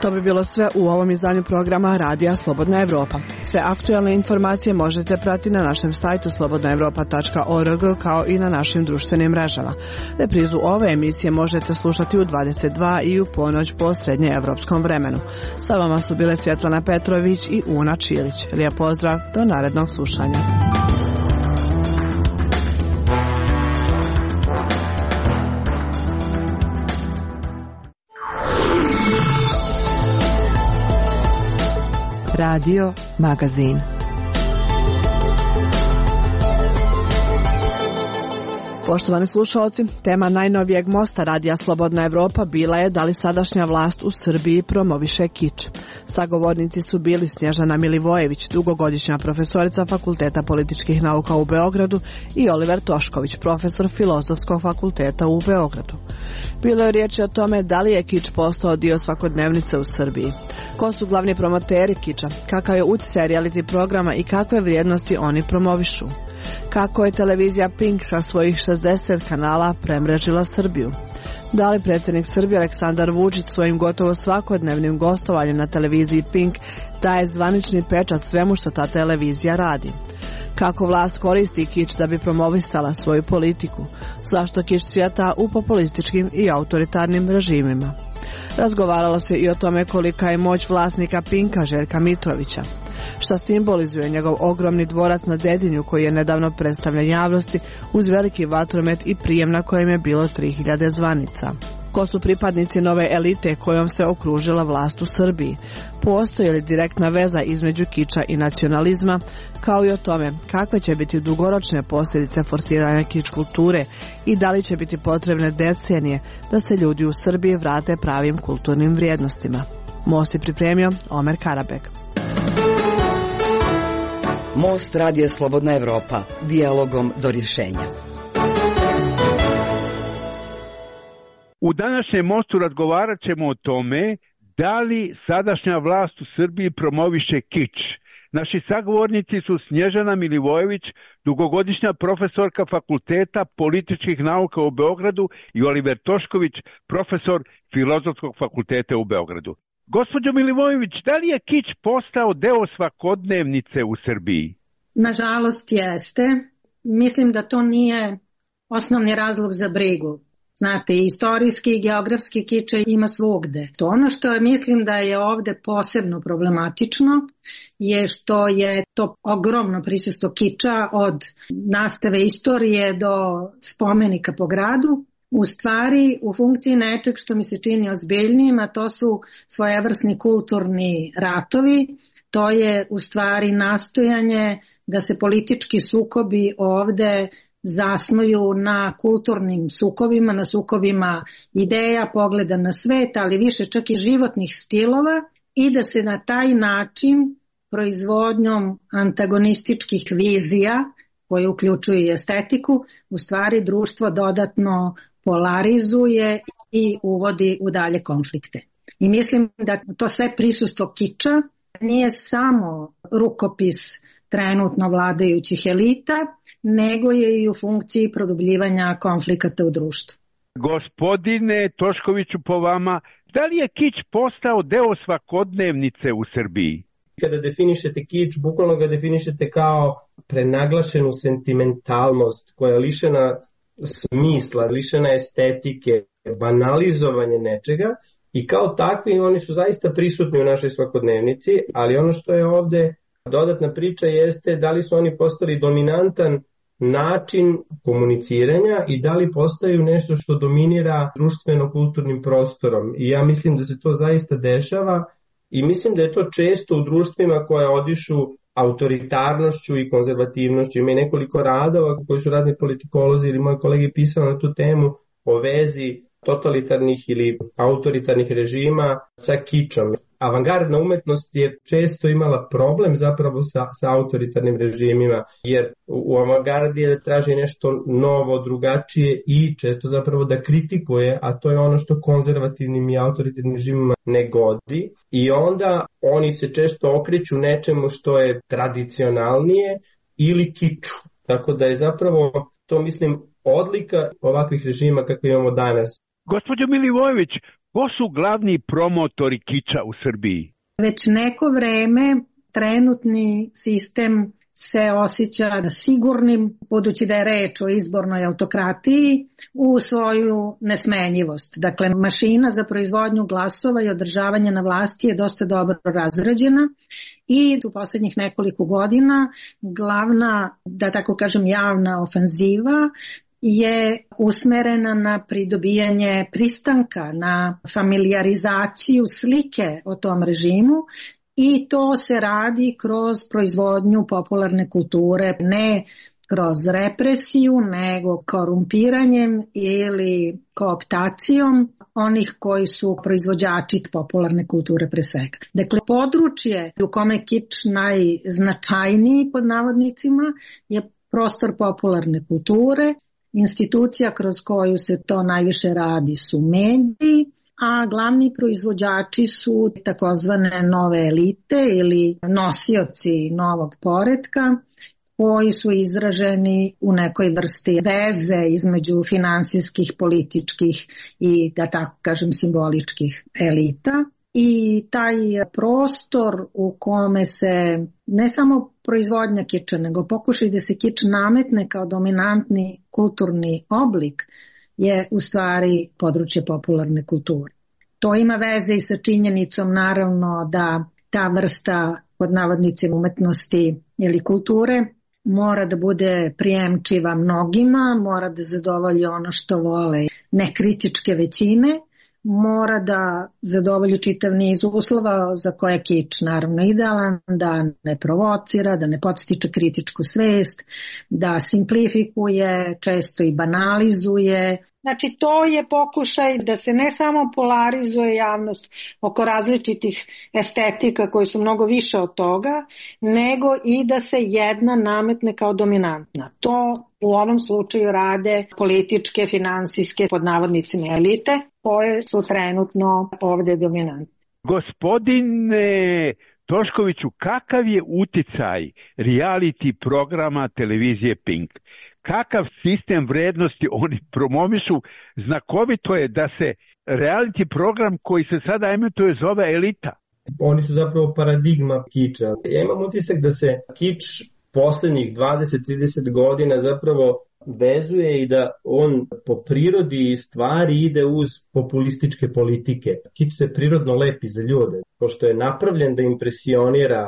To bi bilo sve u ovom izdanju programa Radija Slobodna Evropa. Sve aktualne informacije možete pratiti na našem sajtu slobodna evropa tačka org kao i na našim društvenim mrežama. Reprizu ove emisije možete slušati u dvadeset dva i u ponoć po srednjeevropskom vremenu. Sa vama su bile Svjetlana Petrović i Una Čilić. Lijep pozdrav, do narednog slušanja. Radio Magazin. Poštovani slušalci, tema najnovijeg mosta Radija Slobodna Evropa bila je da li sadašnja vlast u Srbiji promoviše kič. Sagovornici su bili Snježana Milivojević, dugogodišnja profesorica Fakulteta političkih nauka u Beogradu, i Oliver Tošković, profesor Filozofskog fakulteta u Beogradu. Bilo je riječi o tome da li je kič postao dio svakodnevnice u Srbiji. Ko su glavni promoteri kiča, kakav je utjecaj reality programa i kakve vrijednosti oni promovišu. Kako je televizija Pink sa svojih šezdeset kanala premrežila Srbiju. Da li predsjednik Srbije Aleksandar Vučić svojim gotovo svakodnevnim gostovanjem na televiziji Pink daje zvanični pečat svemu što ta televizija radi. Kako vlast koristi kič da bi promovisala svoju politiku. Zašto kič cvjeta u populističkim i autoritarnim režimima. Razgovaralo se i o tome kolika je moć vlasnika Pinka Željka Mitrovića. Šta simbolizuje njegov ogromni dvorac na Dedinju koji je nedavno predstavljen javnosti uz veliki vatromet i prijem na kojem je bilo tri hiljade zvanica. Ko su pripadnici nove elite kojom se okružila vlast u Srbiji? Postoji li direktna veza između kiča i nacionalizma, kao i o tome kakve će biti dugoročne posljedice forsiranja kič kulture i da li će biti potrebne decenije da se ljudi u Srbiji vrate pravim kulturnim vrijednostima. Most je pripremio Omer Karabek. Most Radija Slobodna Evropa, dijalogom do rješenja. U današnjem mostu razgovarat ćemo o tome da li sadašnja vlast u Srbiji promoviše kič. Naši sagovornici su Snježana Milivojević, dugogodišnja profesorka Fakulteta političkih nauka u Beogradu, i Oliver Tošković, profesor Filozofskog fakulteta u Beogradu. Gospođo Milivojević, da li je kič postao deo svakodnevnice u Srbiji? Nažalost jeste. Mislim da to nije osnovni razlog za brigu. Znate, istorijski i geografski kič ima svugde. To ono što mislim da je ovde posebno problematično je što je to ogromno prisustvo kiča od nastave istorije do spomenika po gradu, u stvari u funkciji nečeg što mi se čini ozbiljnijim, a to su svojevrsni kulturni ratovi. To je u stvari nastojanje da se politički sukobi ovde zasnuju na kulturnim sukobima, na sukobima ideja, pogleda na svet, ali više čak i životnih stilova, i da se na taj način proizvodnjom antagonističkih vizija, koje uključuju i estetiku, u stvari društvo dodatno polarizuje i uvodi u dalje konflikte. I mislim da to sve prisustvo kiča nije samo rukopis trenutno vladajućih elita, nego je i u funkciji produbljivanja konflikata u društvu. Gospodine Toškoviću, po vama, da li je kič postao deo svakodnevnice u Srbiji? Kada definišete kič, bukvalno ga definišete kao prenaglašenu sentimentalnost koja je lišena smisla, lišena estetike, banalizovanje nečega, i kao takvi oni su zaista prisutni u našoj svakodnevnici, ali ono što je ovde dodatna priča jeste da li su oni postali dominantan način komuniciranja i da li postaju nešto što dominira društveno-kulturnim prostorom. I ja mislim da se to zaista dešava i mislim da je to često u društvima koja odišu autoritarnošću i konzervativnošću. Ima i nekoliko radova koji su razni politikolozi ili moji kolege pisali na tu temu o vezi totalitarnih ili autoritarnih režima sa kičom. Avangardna umetnost je često imala problem zapravo sa, sa autoritarnim režimima, jer u avangardi je da traži nešto novo, drugačije i često zapravo da kritikuje, a to je ono što konzervativnim i autoritarnim režimima ne godi. I onda oni se često okreću nečemu što je tradicionalnije ili kiču. Tako da je zapravo to, mislim, odlika ovakvih režima kakve imamo danas. Gospođo Milivojević, ko su glavni promotori kiča u Srbiji? Već neko vreme trenutni sistem se osjeća sigurnim, budući da je reč o izbornoj autokratiji, u svoju nesmenjivost. Dakle, mašina za proizvodnju glasova i održavanje na vlasti je dosta dobro razrađena i u poslednjih nekoliko godina glavna, da tako kažem, javna ofenziva je usmerena na pridobijanje pristanka, na familijarizaciju slike o tom režimu i to se radi kroz proizvodnju popularne kulture, ne kroz represiju, nego korumpiranjem ili kooptacijom onih koji su proizvođači popularne kulture pre svega. Dakle, područje u kome kič najznačajniji pod navodnicima je prostor popularne kulture. Institucija kroz koju se to najviše radi su mediji, a glavni proizvođači su takozvane nove elite ili nosioci novog poretka koji su izraženi u nekoj vrsti veze između finansijskih, političkih i, da tako kažem, simboličkih elita. I taj prostor u kome se ne samo proizvodnja kiča, nego pokušaj da se kič nametne kao dominantni kulturni oblik je u stvari područje popularne kulture. To ima veze i sa činjenicom naravno da ta vrsta pod navodnicima umetnosti ili kulture mora da bude prijemčiva mnogima, mora da zadovolji ono što vole nekritičke većine, mora da zadovolji čitav niz uslova za koje je kič naravno idealan, da ne provocira, da ne podstiče kritičku svest, da simplifikuje, često i banalizuje. Znači, to je pokušaj da se ne samo polarizuje javnost oko različitih estetika koji su mnogo više od toga, nego i da se jedna nametne kao dominantna. To u ovom slučaju rade političke, finansijske, pod navodnicima elite, koje su trenutno ovde dominantne. Gospodine Toškoviću, kakav je uticaj reality programa televizije Pink? Kakav sistem vrednosti oni promovišu? Znakovito je da se reality program koji se sada emituje zove Elita. Oni su zapravo paradigma kiča. Ja imam utisak da se kič poslednjih dvadeset do trideset godina zapravo vezuje i da on po prirodi stvari ide uz populističke politike. Kič se prirodno lepi za ljude, pošto je napravljen da impresionira,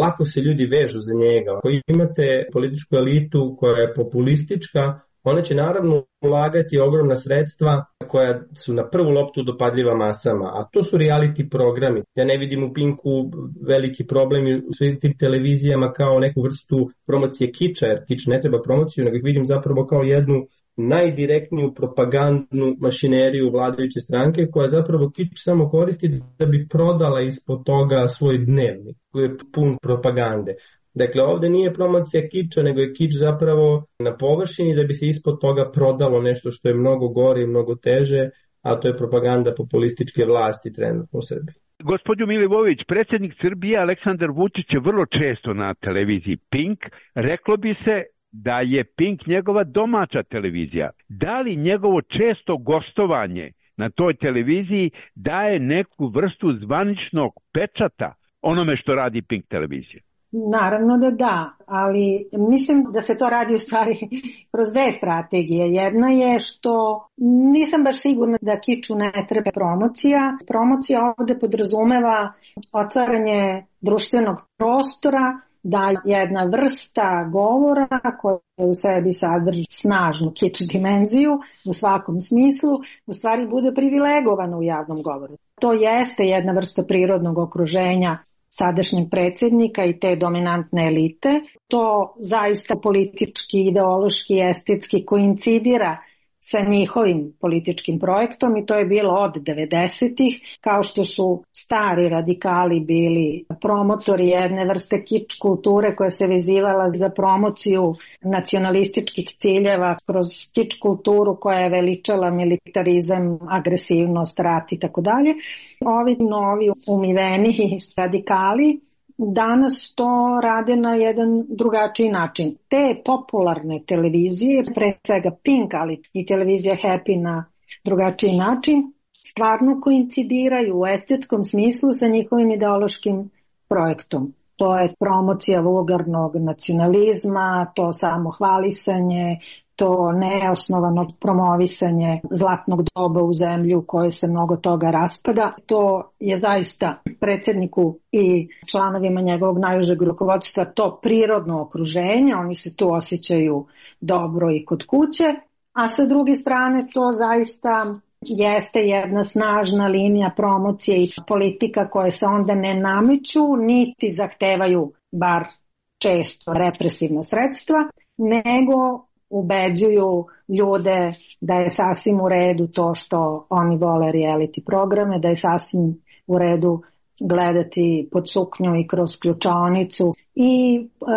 lako se ljudi vežu za njega. Ako imate političku elitu koja je populistička, ona će naravno ulagati ogromna sredstva koja su na prvu loptu dopadljiva masama, a to su reality programi. Ja ne vidim u Pinku veliki problem u svim tim televizijama kao neku vrstu promocije kiča, jer kič ne treba promociju, nego ih vidim zapravo kao jednu najdirektniju propagandnu mašineriju vladajuće stranke koja zapravo kič samo koristi da bi prodala ispod toga svoj dnevnik koji je pun propagande. Dakle, ovde nije promocija kiča, nego je kič zapravo na površini da bi se ispod toga prodalo nešto što je mnogo gore i mnogo teže, a to je propaganda populističke vlasti trenutno u Srbiji. Gospodin Milivojević, predsjednik Srbije Aleksandar Vučić je vrlo često na televiziji Pink. Reklo bi se da je Pink njegova domaća televizija. Da li njegovo često gostovanje na toj televiziji daje neku vrstu zvaničnog pečata onome što radi Pink televizija? Naravno da da, ali mislim da se to radi u stvari kroz dve strategije. Jedna je što nisam baš sigurna da kiču ne treba promocija. Promocija ovde podrazumeva otvaranje društvenog prostora, da jedna vrsta govora koja u sebi sadrži snažnu kič dimenziju u svakom smislu, u stvari bude privilegovana u javnom govoru. To jeste jedna vrsta prirodnog okruženja sadašnjeg predsjednika i te dominantne elite. To zaista politički, ideološki, estetski koincidira sa njihovim političkim projektom i to je bilo od devedesetih, kao što su stari radikali bili promotori jedne vrste kič kulture koja se vezivala za promociju nacionalističkih ciljeva kroz kič kulturu koja je veličala militarizam, agresivnost, rat i tako dalje. Ovi novi umiveni radikali danas to rade na jedan drugačiji način. Te popularne televizije, pre svega Pink, ali i televizija Happy na drugačiji način, stvarno koincidiraju u estetskom smislu sa njihovim ideološkim projektom. To je promocija vulgarnog nacionalizma, to samohvalisanje, to neosnovano promovisanje zlatnog doba u zemlji u kojoj se mnogo toga raspada. To je zaista predsjedniku i članovima njegovog najužeg rukovodstva to prirodno okruženje, oni se tu osjećaju dobro i kod kuće, a sa druge strane to zaista jeste jedna snažna linija promocije i politika koje se onda ne nameću, niti zahtevaju bar često represivna sredstva, nego ubeđuju ljude da je sasvim u redu to što oni vole reality programe, da je sasvim u redu gledati pod suknju i kroz ključaonicu i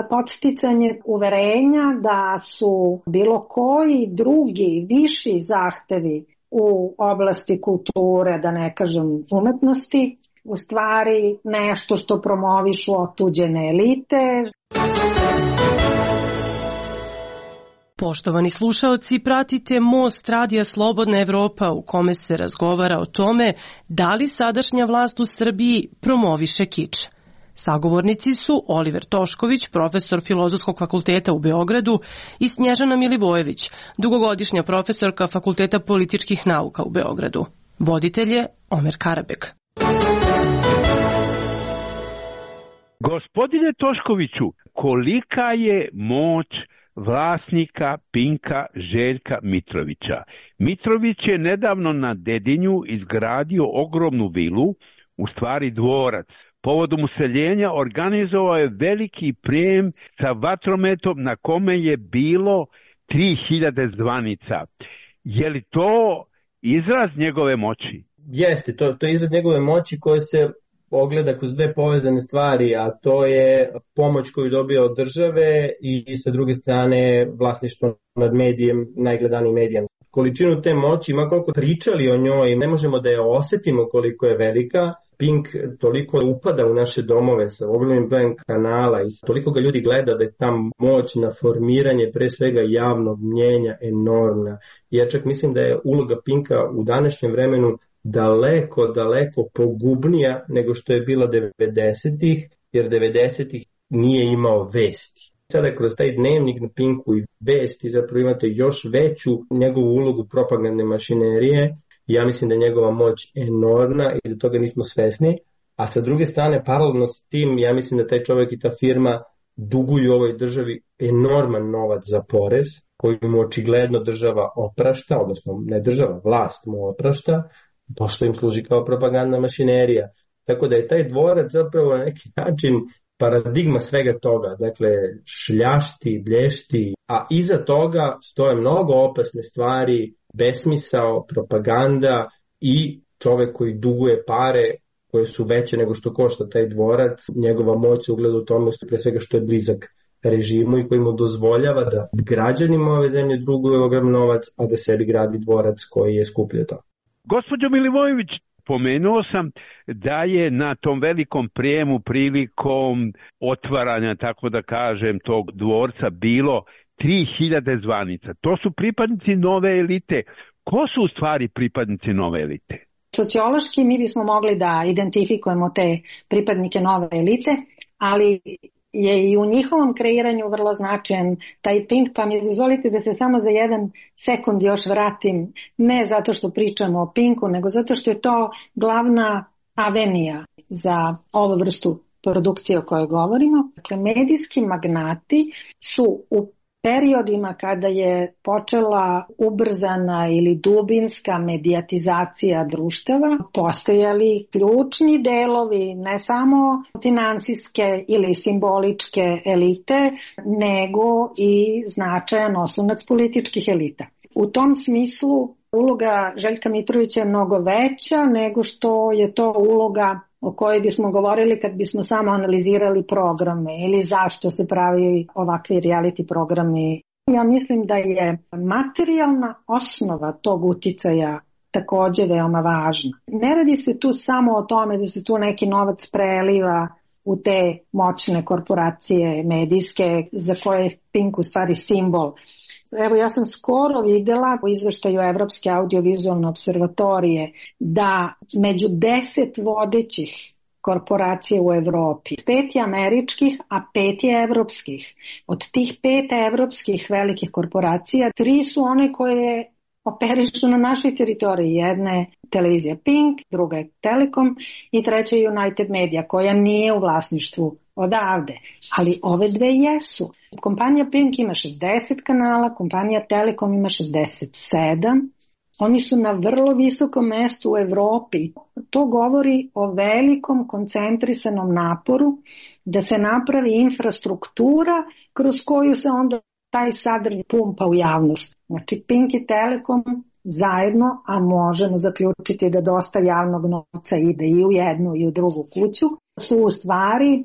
podsticanje uverenja da su bilo koji drugi viši zahtevi u oblasti kulture, da ne kažem umetnosti, u stvari nešto što promovišu otuđene elite. Poštovani slušaoci, pratite Most Radija Slobodna Evropa u kome se razgovara o tome da li sadašnja vlast u Srbiji promoviše kič. Sagovornici su Oliver Tošković, profesor Filozofskog fakulteta u Beogradu, i Snježana Milivojević, dugogodišnja profesorka Fakulteta političkih nauka u Beogradu. Voditelj je Omer Karabek. Gospodine Toškoviću, kolika je moć vlasnika Pinka Željka Mitrovića? Mitrović je nedavno na Dedinju izgradio ogromnu vilu, u stvari dvorac. Povodom useljenja organizovao je veliki prijem sa vatrometom na kome je bilo tri hiljade zvanica. Je li to izraz njegove moći? Jeste, to, to je izraz njegove moći koje se ogleda kroz dve povezane stvari, a to je pomoć koju dobija od države i, i sa druge strane vlasništvo nad medijem, najgledanijim medijem. Količinu te moći, ma koliko pričali o njoj, ne možemo da je osetimo koliko je velika. Pink toliko upada u naše domove sa ogromnim brojem kanala i toliko ga ljudi gleda da je ta moć na formiranje pre svega javnog mnjenja enormna. Ja čak mislim da je uloga Pinka u današnjem vremenu daleko, daleko pogubnija nego što je bila devedesetih, jer devedesetih nije imao vesti. Sada kroz taj dnevnik na Pinku i vesti zapravo imate još veću njegovu ulogu propagandne mašinerije. Ja mislim da je njegova moć enormna i da toga nismo svesni. A sa druge strane, paralelno s tim, ja mislim da taj čovjek i ta firma duguju ovoj državi enorman novac za porez, koji mu očigledno država oprašta, odnosno ne država, vlast mu oprašta, pošto im služi kao propagandna mašinerija. Tako da je taj dvorac zapravo na neki način paradigma svega toga, dakle šljašti, blješti, a iza toga stoje mnogo opasne stvari, besmisao, propaganda i čovek koji duguje pare koje su veće nego što košta taj dvorac. Njegova moć se ugleda u tome pre svega što je blizak režimu i koji mu dozvoljava da građanima ove zemlje duguje ogrom novac, a da sebi gradi dvorac koji je skuplje to. Gospođo Milivojević, pomenuo sam da je na tom velikom prijemu prilikom otvaranja, tako da kažem, tog dvorca bilo tri hiljade zvanica. To su pripadnici nove elite. Ko su u stvari pripadnici nove elite? Sociološki mi bismo mogli da identifikujemo te pripadnike nove elite, ali je i u njihovom kreiranju vrlo značajan taj Pink, pa mi dozvolite da se samo za jedan sekund još vratim, ne zato što pričamo o Pinku, nego zato što je to glavna avenija za ovu vrstu produkcije o kojoj govorimo. Dakle, medijski magnati su u periodima kada je počela ubrzana ili dubinska medijatizacija društava, postojali ključni delovi ne samo finansijske ili simboličke elite, nego i značajan oslonac političkih elita. U tom smislu uloga Željka Mitrovića je mnogo veća nego što je to uloga o kojoj bismo govorili kad bismo samo analizirali programe ili zašto se pravi ovakvi reality programi. Ja mislim da je materijalna osnova tog uticaja također veoma važna. Ne radi se tu samo o tome da se tu neki novac preliva u te moćne korporacije medijske za koje je Pink u stvari simbol. Evo, ja sam skoro videla u izveštaju Evropske audiovizualne observatorije da među deset vodećih korporacija u Evropi, pet je američkih, a pet je evropskih. Od tih pet evropskih velikih korporacija, tri su one koje operišu na našoj teritoriji. Jedna je televizija Pink, druga je Telekom i treća je United Media, koja nije u vlasništvu odavde, ali ove dve jesu. Kompanija Pink ima šezdeset kanala, kompanija Telekom ima šezdeset sedam. Oni su na vrlo visokom mestu u Evropi. To govori o velikom koncentrisanom naporu da se napravi infrastruktura kroz koju se onda taj sadržaj pumpa u javnost. Znači Pink i Telekom zajedno, a možemo zaključiti da dosta javnog novca ide i u jednu i u drugu kuću, su u stvari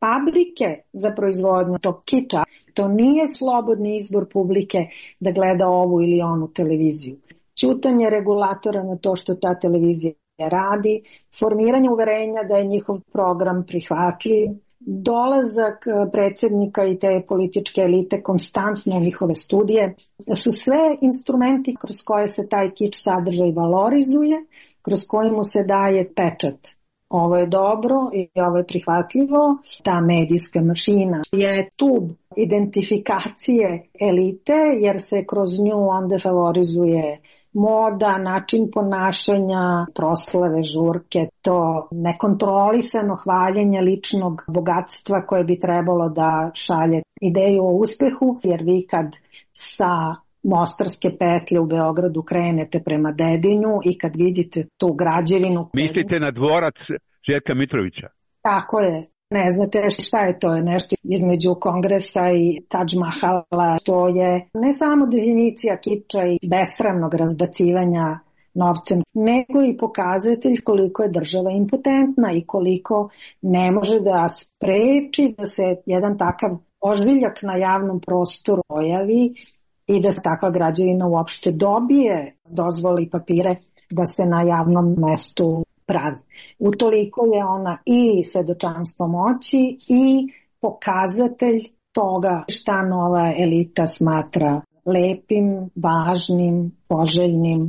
fabrike za proizvodnju tog kiča. To nije slobodni izbor publike da gleda ovu ili onu televiziju. Ćutanje regulatora na to što ta televizija radi, formiranje uverenja da je njihov program prihvatljiv, dolazak predsjednika i te političke elite konstantno u njihove studije, da su sve instrumenti kroz koje se taj kič sadržaj valorizuje, kroz koji mu se daje pečat. Ovo je dobro i ovo je prihvatljivo. Ta medijska mašina je tub identifikacije elite, jer se kroz nju onda favorizuje moda, način ponašanja, proslave, žurke, to nekontrolisano hvaljenje ličnog bogatstva koje bi trebalo da šalje ideju o uspehu, jer vi kad sa Mostarske petlje u Beogradu krenete prema Dedinju i kad vidite tu građevinu... Mislite na dvorac Željka Mitrovića? Tako je. Ne znate šta je to, je nešto između Kongresa i Taj Mahala. To je ne samo definicija kiča i besramnog razbacivanja novcem, nego i pokazatelj koliko je država impotentna i koliko ne može da spreči da se jedan takav ožbiljak na javnom prostoru pojavi i da se takva građevina uopšte dobije dozvoli papire da se na javnom mestu pravi. Utoliko je ona i svedočanstvo moći i pokazatelj toga šta nova elita smatra lepim, važnim, poželjnim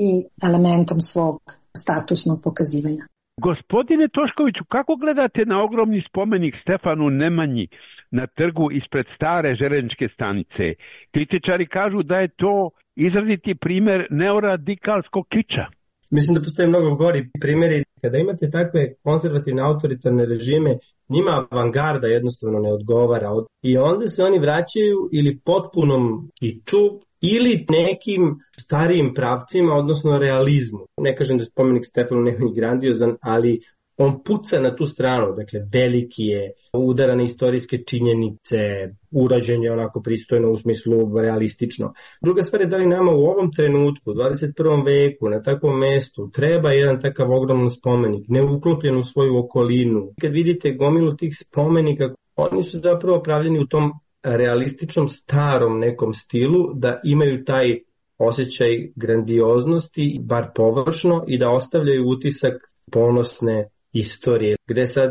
i elementom svog statusnog pokazivanja. Gospodine Toškoviću, kako gledate na ogromni spomenik Stefanu Nemanji na trgu ispred stare železničke stanice? Kritičari kažu da je to izraziti primjer neoradikalskog kiča. Mislim da postoje mnogo gori primjeri. Kada imate takve konzervativne autoritarne režime, njima avangarda jednostavno ne odgovara. I onda se oni vraćaju ili potpunom kiču ili nekim starijim pravcima, odnosno realizmu. Ne kažem da je spomenik Stefanu Nemanji grandiozan, ali on puca na tu stranu, dakle veliki je, udara na istorijske činjenice, urađen je onako pristojno u smislu realistično. Druga stvar je da li nama u ovom trenutku, u dvadeset prvom veku, na takvom mestu, treba jedan takav ogroman spomenik, neuklopljen u svoju okolinu. Kad vidite gomilu tih spomenika, oni su zapravo pravljeni u tom realističnom starom nekom stilu, da imaju taj osjećaj grandioznosti, bar površno, i da ostavljaju utisak ponosne istorije, gde sad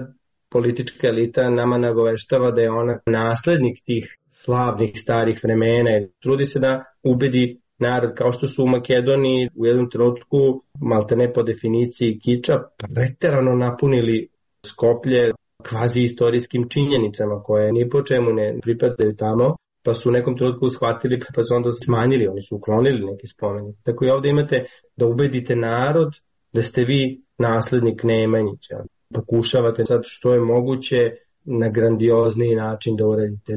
politička elita nama nagoveštava da je ona naslednik tih slavnih starih vremena. Trudi se da ubedi narod, kao što su u Makedoniji u jednom trenutku, maltene po definiciji kiča, preterano napunili Skoplje kvazi istorijskim činjenicama koje ni po čemu ne pripadaju tamo, pa su u nekom trenutku shvatili, pa su onda smanjili, oni su uklonili neki spomenik. Tako i ovdje imate da ubedite narod da ste vi naslednik Nemanjića. Pokušavate sad što je moguće na grandiozniji način da uradite.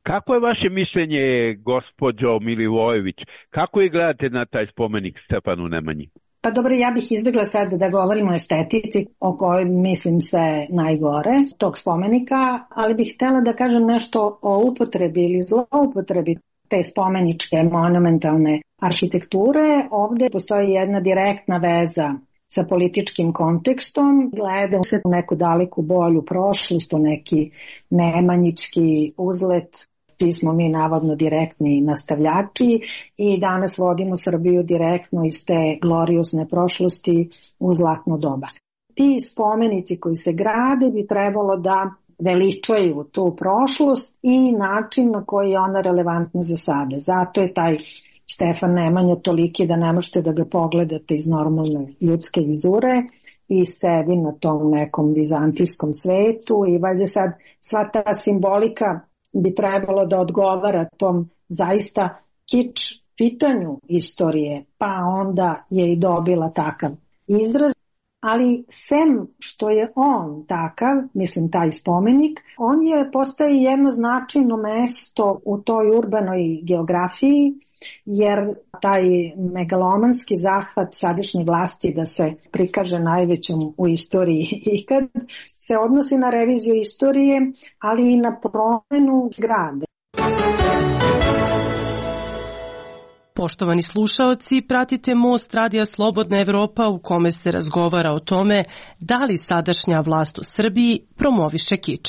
Kako je vaše mišljenje, gospođo Milivojević? Kako je gledate na taj spomenik Stefanu Nemanji? Pa dobro, ja bih izbjegla sad da govorimo o estetici, o kojoj mislim se najgore tog spomenika, ali bih htjela da kažem nešto o upotrebi ili zloupotrebi te spomeničke monumentalne arhitekture, ovde postoji jedna direktna veza sa političkim kontekstom, gleda se u neku daleku bolju prošlost, u neki nemanjički uzlet. Ti smo mi navodno direktni nastavljači i danas vodimo Srbiju direktno iz te gloriozne prošlosti u zlatno doba. Ti spomenici koji se grade bi trebalo da veličaju tu prošlost i način na koji je ona relevantna za sada. Zato je taj Stefan Nemanja toliki da ne možete da ga pogledate iz normalne ljudske vizure i sedi na tom nekom vizantijskom svetu i valjda sad sva ta simbolika bi trebalo da odgovara tom zaista kič pitanju istorije, pa onda je i dobila takav izraz. Ali sem što je on takav, mislim taj spomenik, on je postaje jedno značajno mesto u toj urbanoj geografiji, jer taj megalomanski zahvat sadašnje vlasti da se prikaže najvećom u istoriji ikad se odnosi na reviziju istorije, ali i na promenu grada. Poštovani slušaoci, pratite Most Radija Slobodna Evropa u kome se razgovara o tome da li sadašnja vlast u Srbiji promoviše kič.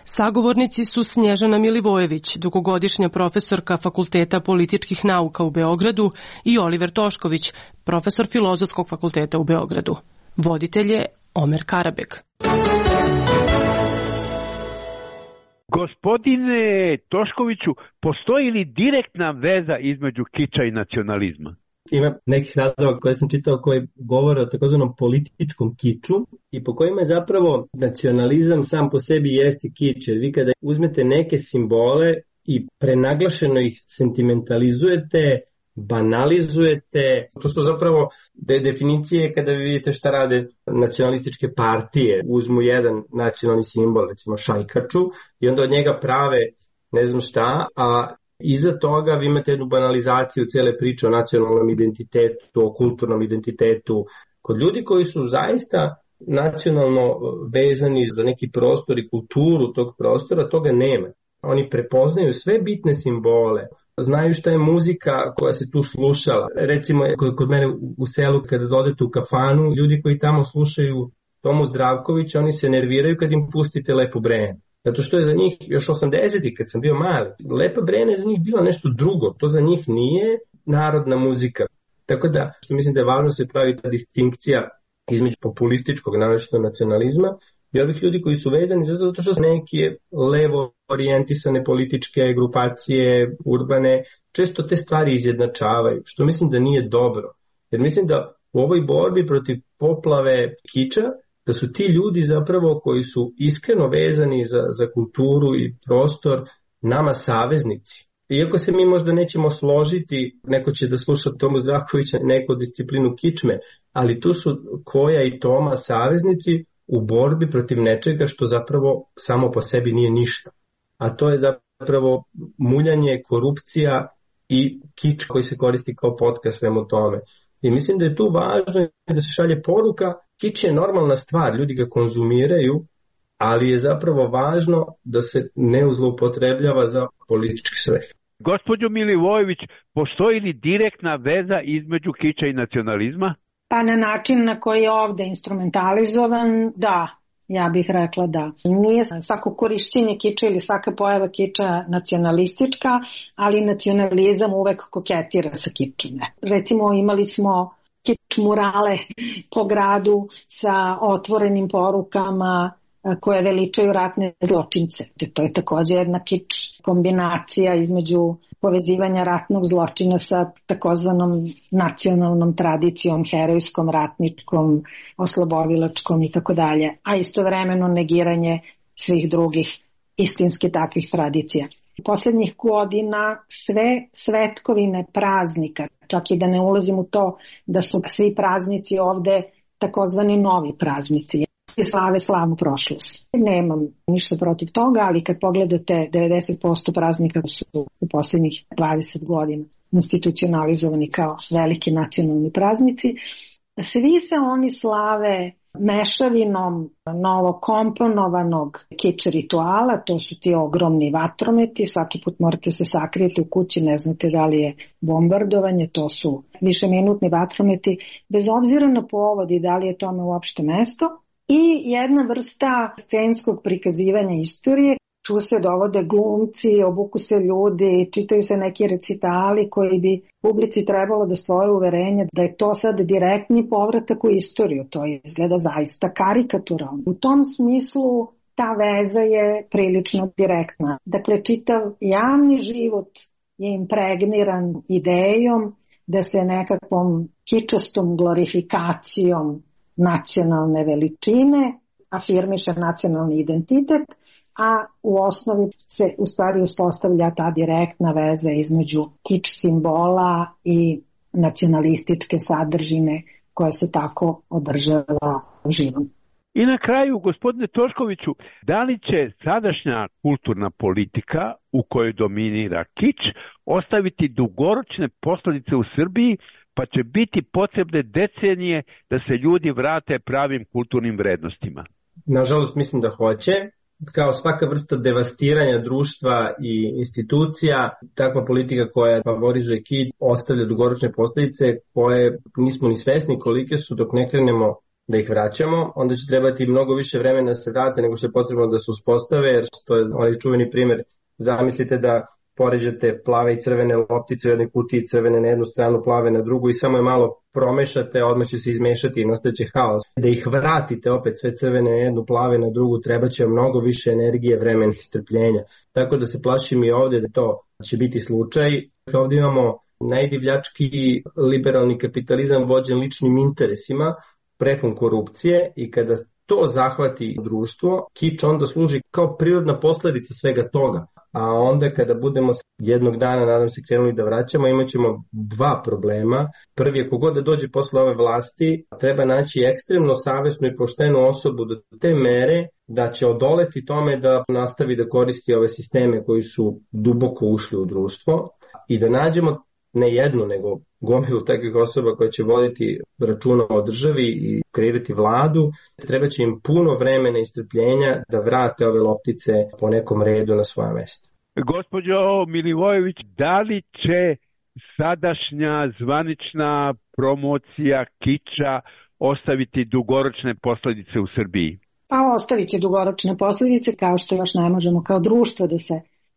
Sagovornici su Snježana Milivojević, dugogodišnja profesorka Fakulteta političkih nauka u Beogradu, i Oliver Tošković, profesor Filozofskog fakulteta u Beogradu. Voditelj je Omer Karabek. Gospodine Toškoviću, postoji li direktna veza između kiča i nacionalizma? Ima nekih radova koje sam čitao koji govore o takozvanom političkom kiču i po kojima je zapravo nacionalizam sam po sebi jeste kič. Jer vi kada uzmete neke simbole i prenaglašeno ih sentimentalizujete, banalizujete, to su zapravo de definicije kada vi vidite šta rade nacionalističke partije. Uzmu jedan nacionalni simbol, recimo šajkaču, i onda od njega prave ne znam šta, a iza toga vi imate jednu banalizaciju cele priče o nacionalnom identitetu, o kulturnom identitetu. Kod ljudi koji su zaista nacionalno vezani za neki prostor i kulturu tog prostora, toga nema. Oni prepoznaju sve bitne simbole, znaju šta je muzika koja se tu slušala. Recimo, kod mene u selu, kada dodete u kafanu, ljudi koji tamo slušaju Tomu Zdravkovića, oni se nerviraju kad im pustite Lepo Brene. Zato što je za njih, još osamdesetih kad sam bio mali, Lepa Brene je za njih bilo nešto drugo. To za njih nije narodna muzika. Tako da, što mislim da je važno se pravi ta distinkcija između populističkog naročito nacionalizma i ovih ljudi koji su vezani zato što su neke levo orijentisane političke grupacije, urbane, često te stvari izjednačavaju, što mislim da nije dobro. Jer mislim da u ovoj borbi protiv poplave kiča, da su ti ljudi zapravo koji su iskreno vezani za, za kulturu i prostor nama saveznici. Iako se mi možda nećemo složiti, neko će da sluša Tomu Zdravkovića, neko disciplinu kičme, ali tu su Koja i Toma saveznici u borbi protiv nečega što zapravo samo po sebi nije ništa. A to je zapravo muljanje, korupcija i kič koji se koristi kao potka svemu tome. I mislim da je tu važno da se šalje poruka, kič je normalna stvar, ljudi ga konzumiraju, ali je zapravo važno da se ne zloupotrebljava za politički svrhe. Gospođo Milivojević, postoji li direktna veza između kiča i nacionalizma? Pa na način na koji je ovde instrumentalizovan, da, ja bih rekla da. Nije svako korišćenje kiča ili svaka pojava kiča nacionalistička, ali nacionalizam uvek koketira sa kičom. Recimo imali smo kič murale po gradu sa otvorenim porukama koje veličaju ratne zločince. To je takođe jedna kič kombinacija između povezivanja ratnog zločina sa takozvanom nacionalnom tradicijom, herojskom, ratničkom, oslobodilačkom i tako dalje, a istovremeno negiranje svih drugih istinski takvih tradicija. Poslednjih godina sve svetkovine praznika, čak i da ne ulazim u to da su svi praznici ovde takozvani novi praznici, slave slavnu prošlost. Nemam ništa protiv toga, ali kad pogledate devedeset posto praznika su u poslednjih dvadeset godina institucionalizovani kao veliki nacionalni praznici, svi se oni slave mešavinom novokomponovanog kič rituala, to su ti ogromni vatrometi, svaki put morate se sakrijeti u kući, ne znate da li je bombardovanje, to su višeminutni vatrometi, bez obzira na povod i da li je tome uopšte mesto, i jedna vrsta scenskog prikazivanja istorije. Tu se dovode glumci, obuku se ljudi, čitaju se neki recitali koji bi publici trebalo da stvore uverenje da je to sad direktni povratak u istoriju. To izgleda zaista karikaturalno. U tom smislu ta veza je prilično direktna. Dakle, čitav javni život je impregniran idejom da se nekakvom kičastom glorifikacijom nacionalne veličine afirmiše nacionalni identitet, a u osnovi se u stvari uspostavlja ta direktna veza između kič simbola i nacionalističke sadržine koja se tako održava živom. I na kraju, gospodine Toškoviću, da li će sadašnja kulturna politika u kojoj dominira kič ostaviti dugoročne posljedice u Srbiji, pa će biti potrebne decenije da se ljudi vrate pravim kulturnim vrednostima? Nažalost, mislim da hoće. Kao svaka vrsta devastiranja društva i institucija, takva politika koja favorizuje kič ostavlja dugoročne posljedice koje nismo ni svesni kolike su dok ne krenemo da ih vraćamo. Onda će trebati mnogo više vremena da se vrate nego što je potrebno da se uspostave, jer to je onaj čuveni primjer. Zamislite da poređate plave i crvene loptice u jednoj kutiji, crvene na jednu stranu, plave na drugu i samo je malo promešate, odmah će se izmešati i nastaće haos. Da ih vratite opet sve crvene na jednu, plave na drugu, treba će mnogo više energije, vremena i strpljenja. Tako da se plašim i ovdje da to će biti slučaj. Ovdje imamo najdivljački liberalni kapitalizam vođen ličnim interesima, prepun korupcije, i kada to zahvati društvo, kič onda služi kao prirodna posljedica svega toga. A onda kada budemo jednog dana, nadam se, krenuli da vraćamo, imat ćemo dva problema. Prvi je, kogod da dođe posle ove vlasti, treba naći ekstremno savesnu i poštenu osobu do te mere da će odoleti tome da nastavi da koristi ove sisteme koji su duboko ušli u društvo, i da nađemo ne jednu, nego gomilu takvih osoba koja će voditi računa o državi i kreirati vladu. Treba će im puno vremena i strpljenja da vrate ove loptice po nekom redu na svoja mjesta. Gospođo Milivojević, da li će sadašnja zvanična promocija kiča ostaviti dugoročne posljedice u Srbiji? Pa ostavit će dugoročne posljedice, kao što još ne možemo kao društvo da se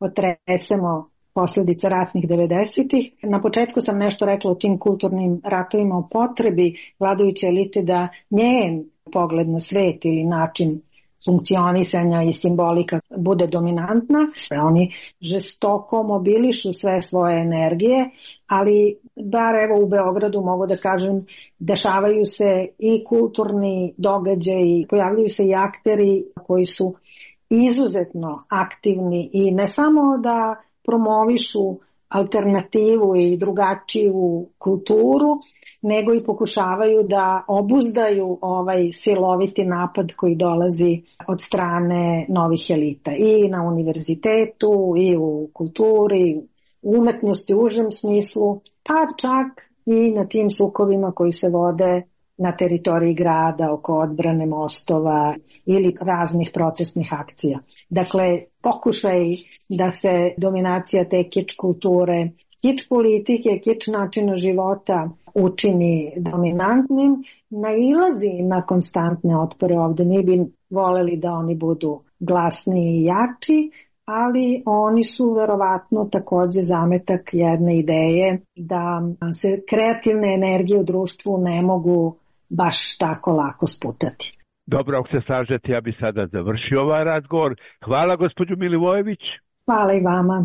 otresemo posljedica ratnih devedesetih. Na početku sam nešto rekla o tim kulturnim ratovima, o potrebi vladajuće elite da njen pogled na svet ili način funkcionisanja i simbolika bude dominantna. Oni žestoko mobilišu sve svoje energije, ali bar evo u Beogradu mogu da kažem, dešavaju se i kulturni događaji, pojavljaju se i akteri koji su izuzetno aktivni i ne samo da promovišu alternativu i drugačiju kulturu, nego i pokušavaju da obuzdaju ovaj siloviti napad koji dolazi od strane novih elita i na univerzitetu i u kulturi, u umetnosti u užem smislu, pa čak i na tim sukobima koji se vode na teritoriji grada, oko odbrane mostova ili raznih protestnih akcija. Dakle, pokušaj da se dominacija te kič kulture, kič politike, kič načina života učini dominantnim, nailazi na konstantne otpore ovdje. Mi bi voleli da oni budu glasniji i jači, ali oni su verovatno također zametak jedne ideje da se kreativne energije u društvu ne mogu baš tako lako sputati. Dobro, ako se slažete, ja bi sada završio ovaj razgovor. Hvala gospođu Milivojević. Hvala i vama.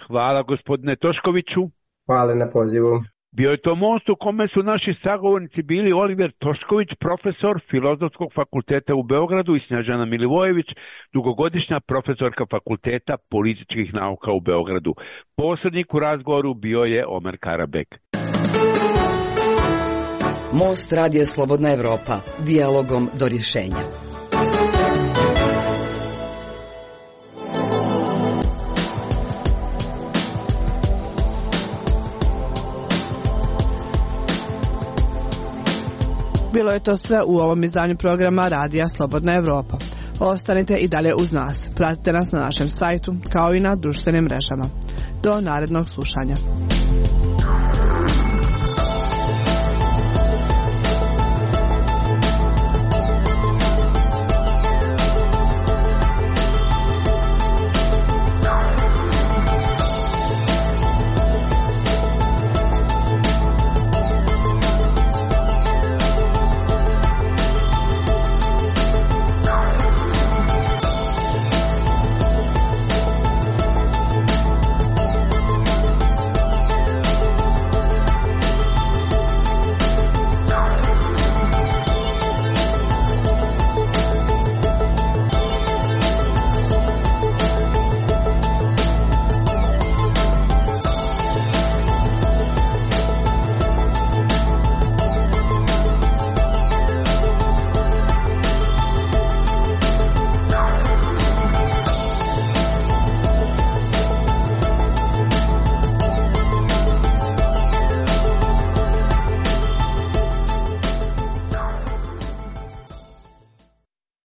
Hvala gospodine Toškoviću. Hvala na pozivu. Bio je to most u kome su naši sagovornici bili Oliver Tošković, profesor Filozofskog fakulteta u Beogradu, i Snježana Milivojević, dugogodišnja profesorka Fakulteta političkih nauka u Beogradu. Posrednik u razgovoru bio je Omer Karabek. Most radija Slobodna Evropa, dijalogom do rješenja. Bilo je to sve u ovom izdanju programa Radija Slobodna Evropa. Ostanite i dalje uz nas. Pratite nas na našem sajtu kao i na društvenim mrežama. Do narednog slušanja.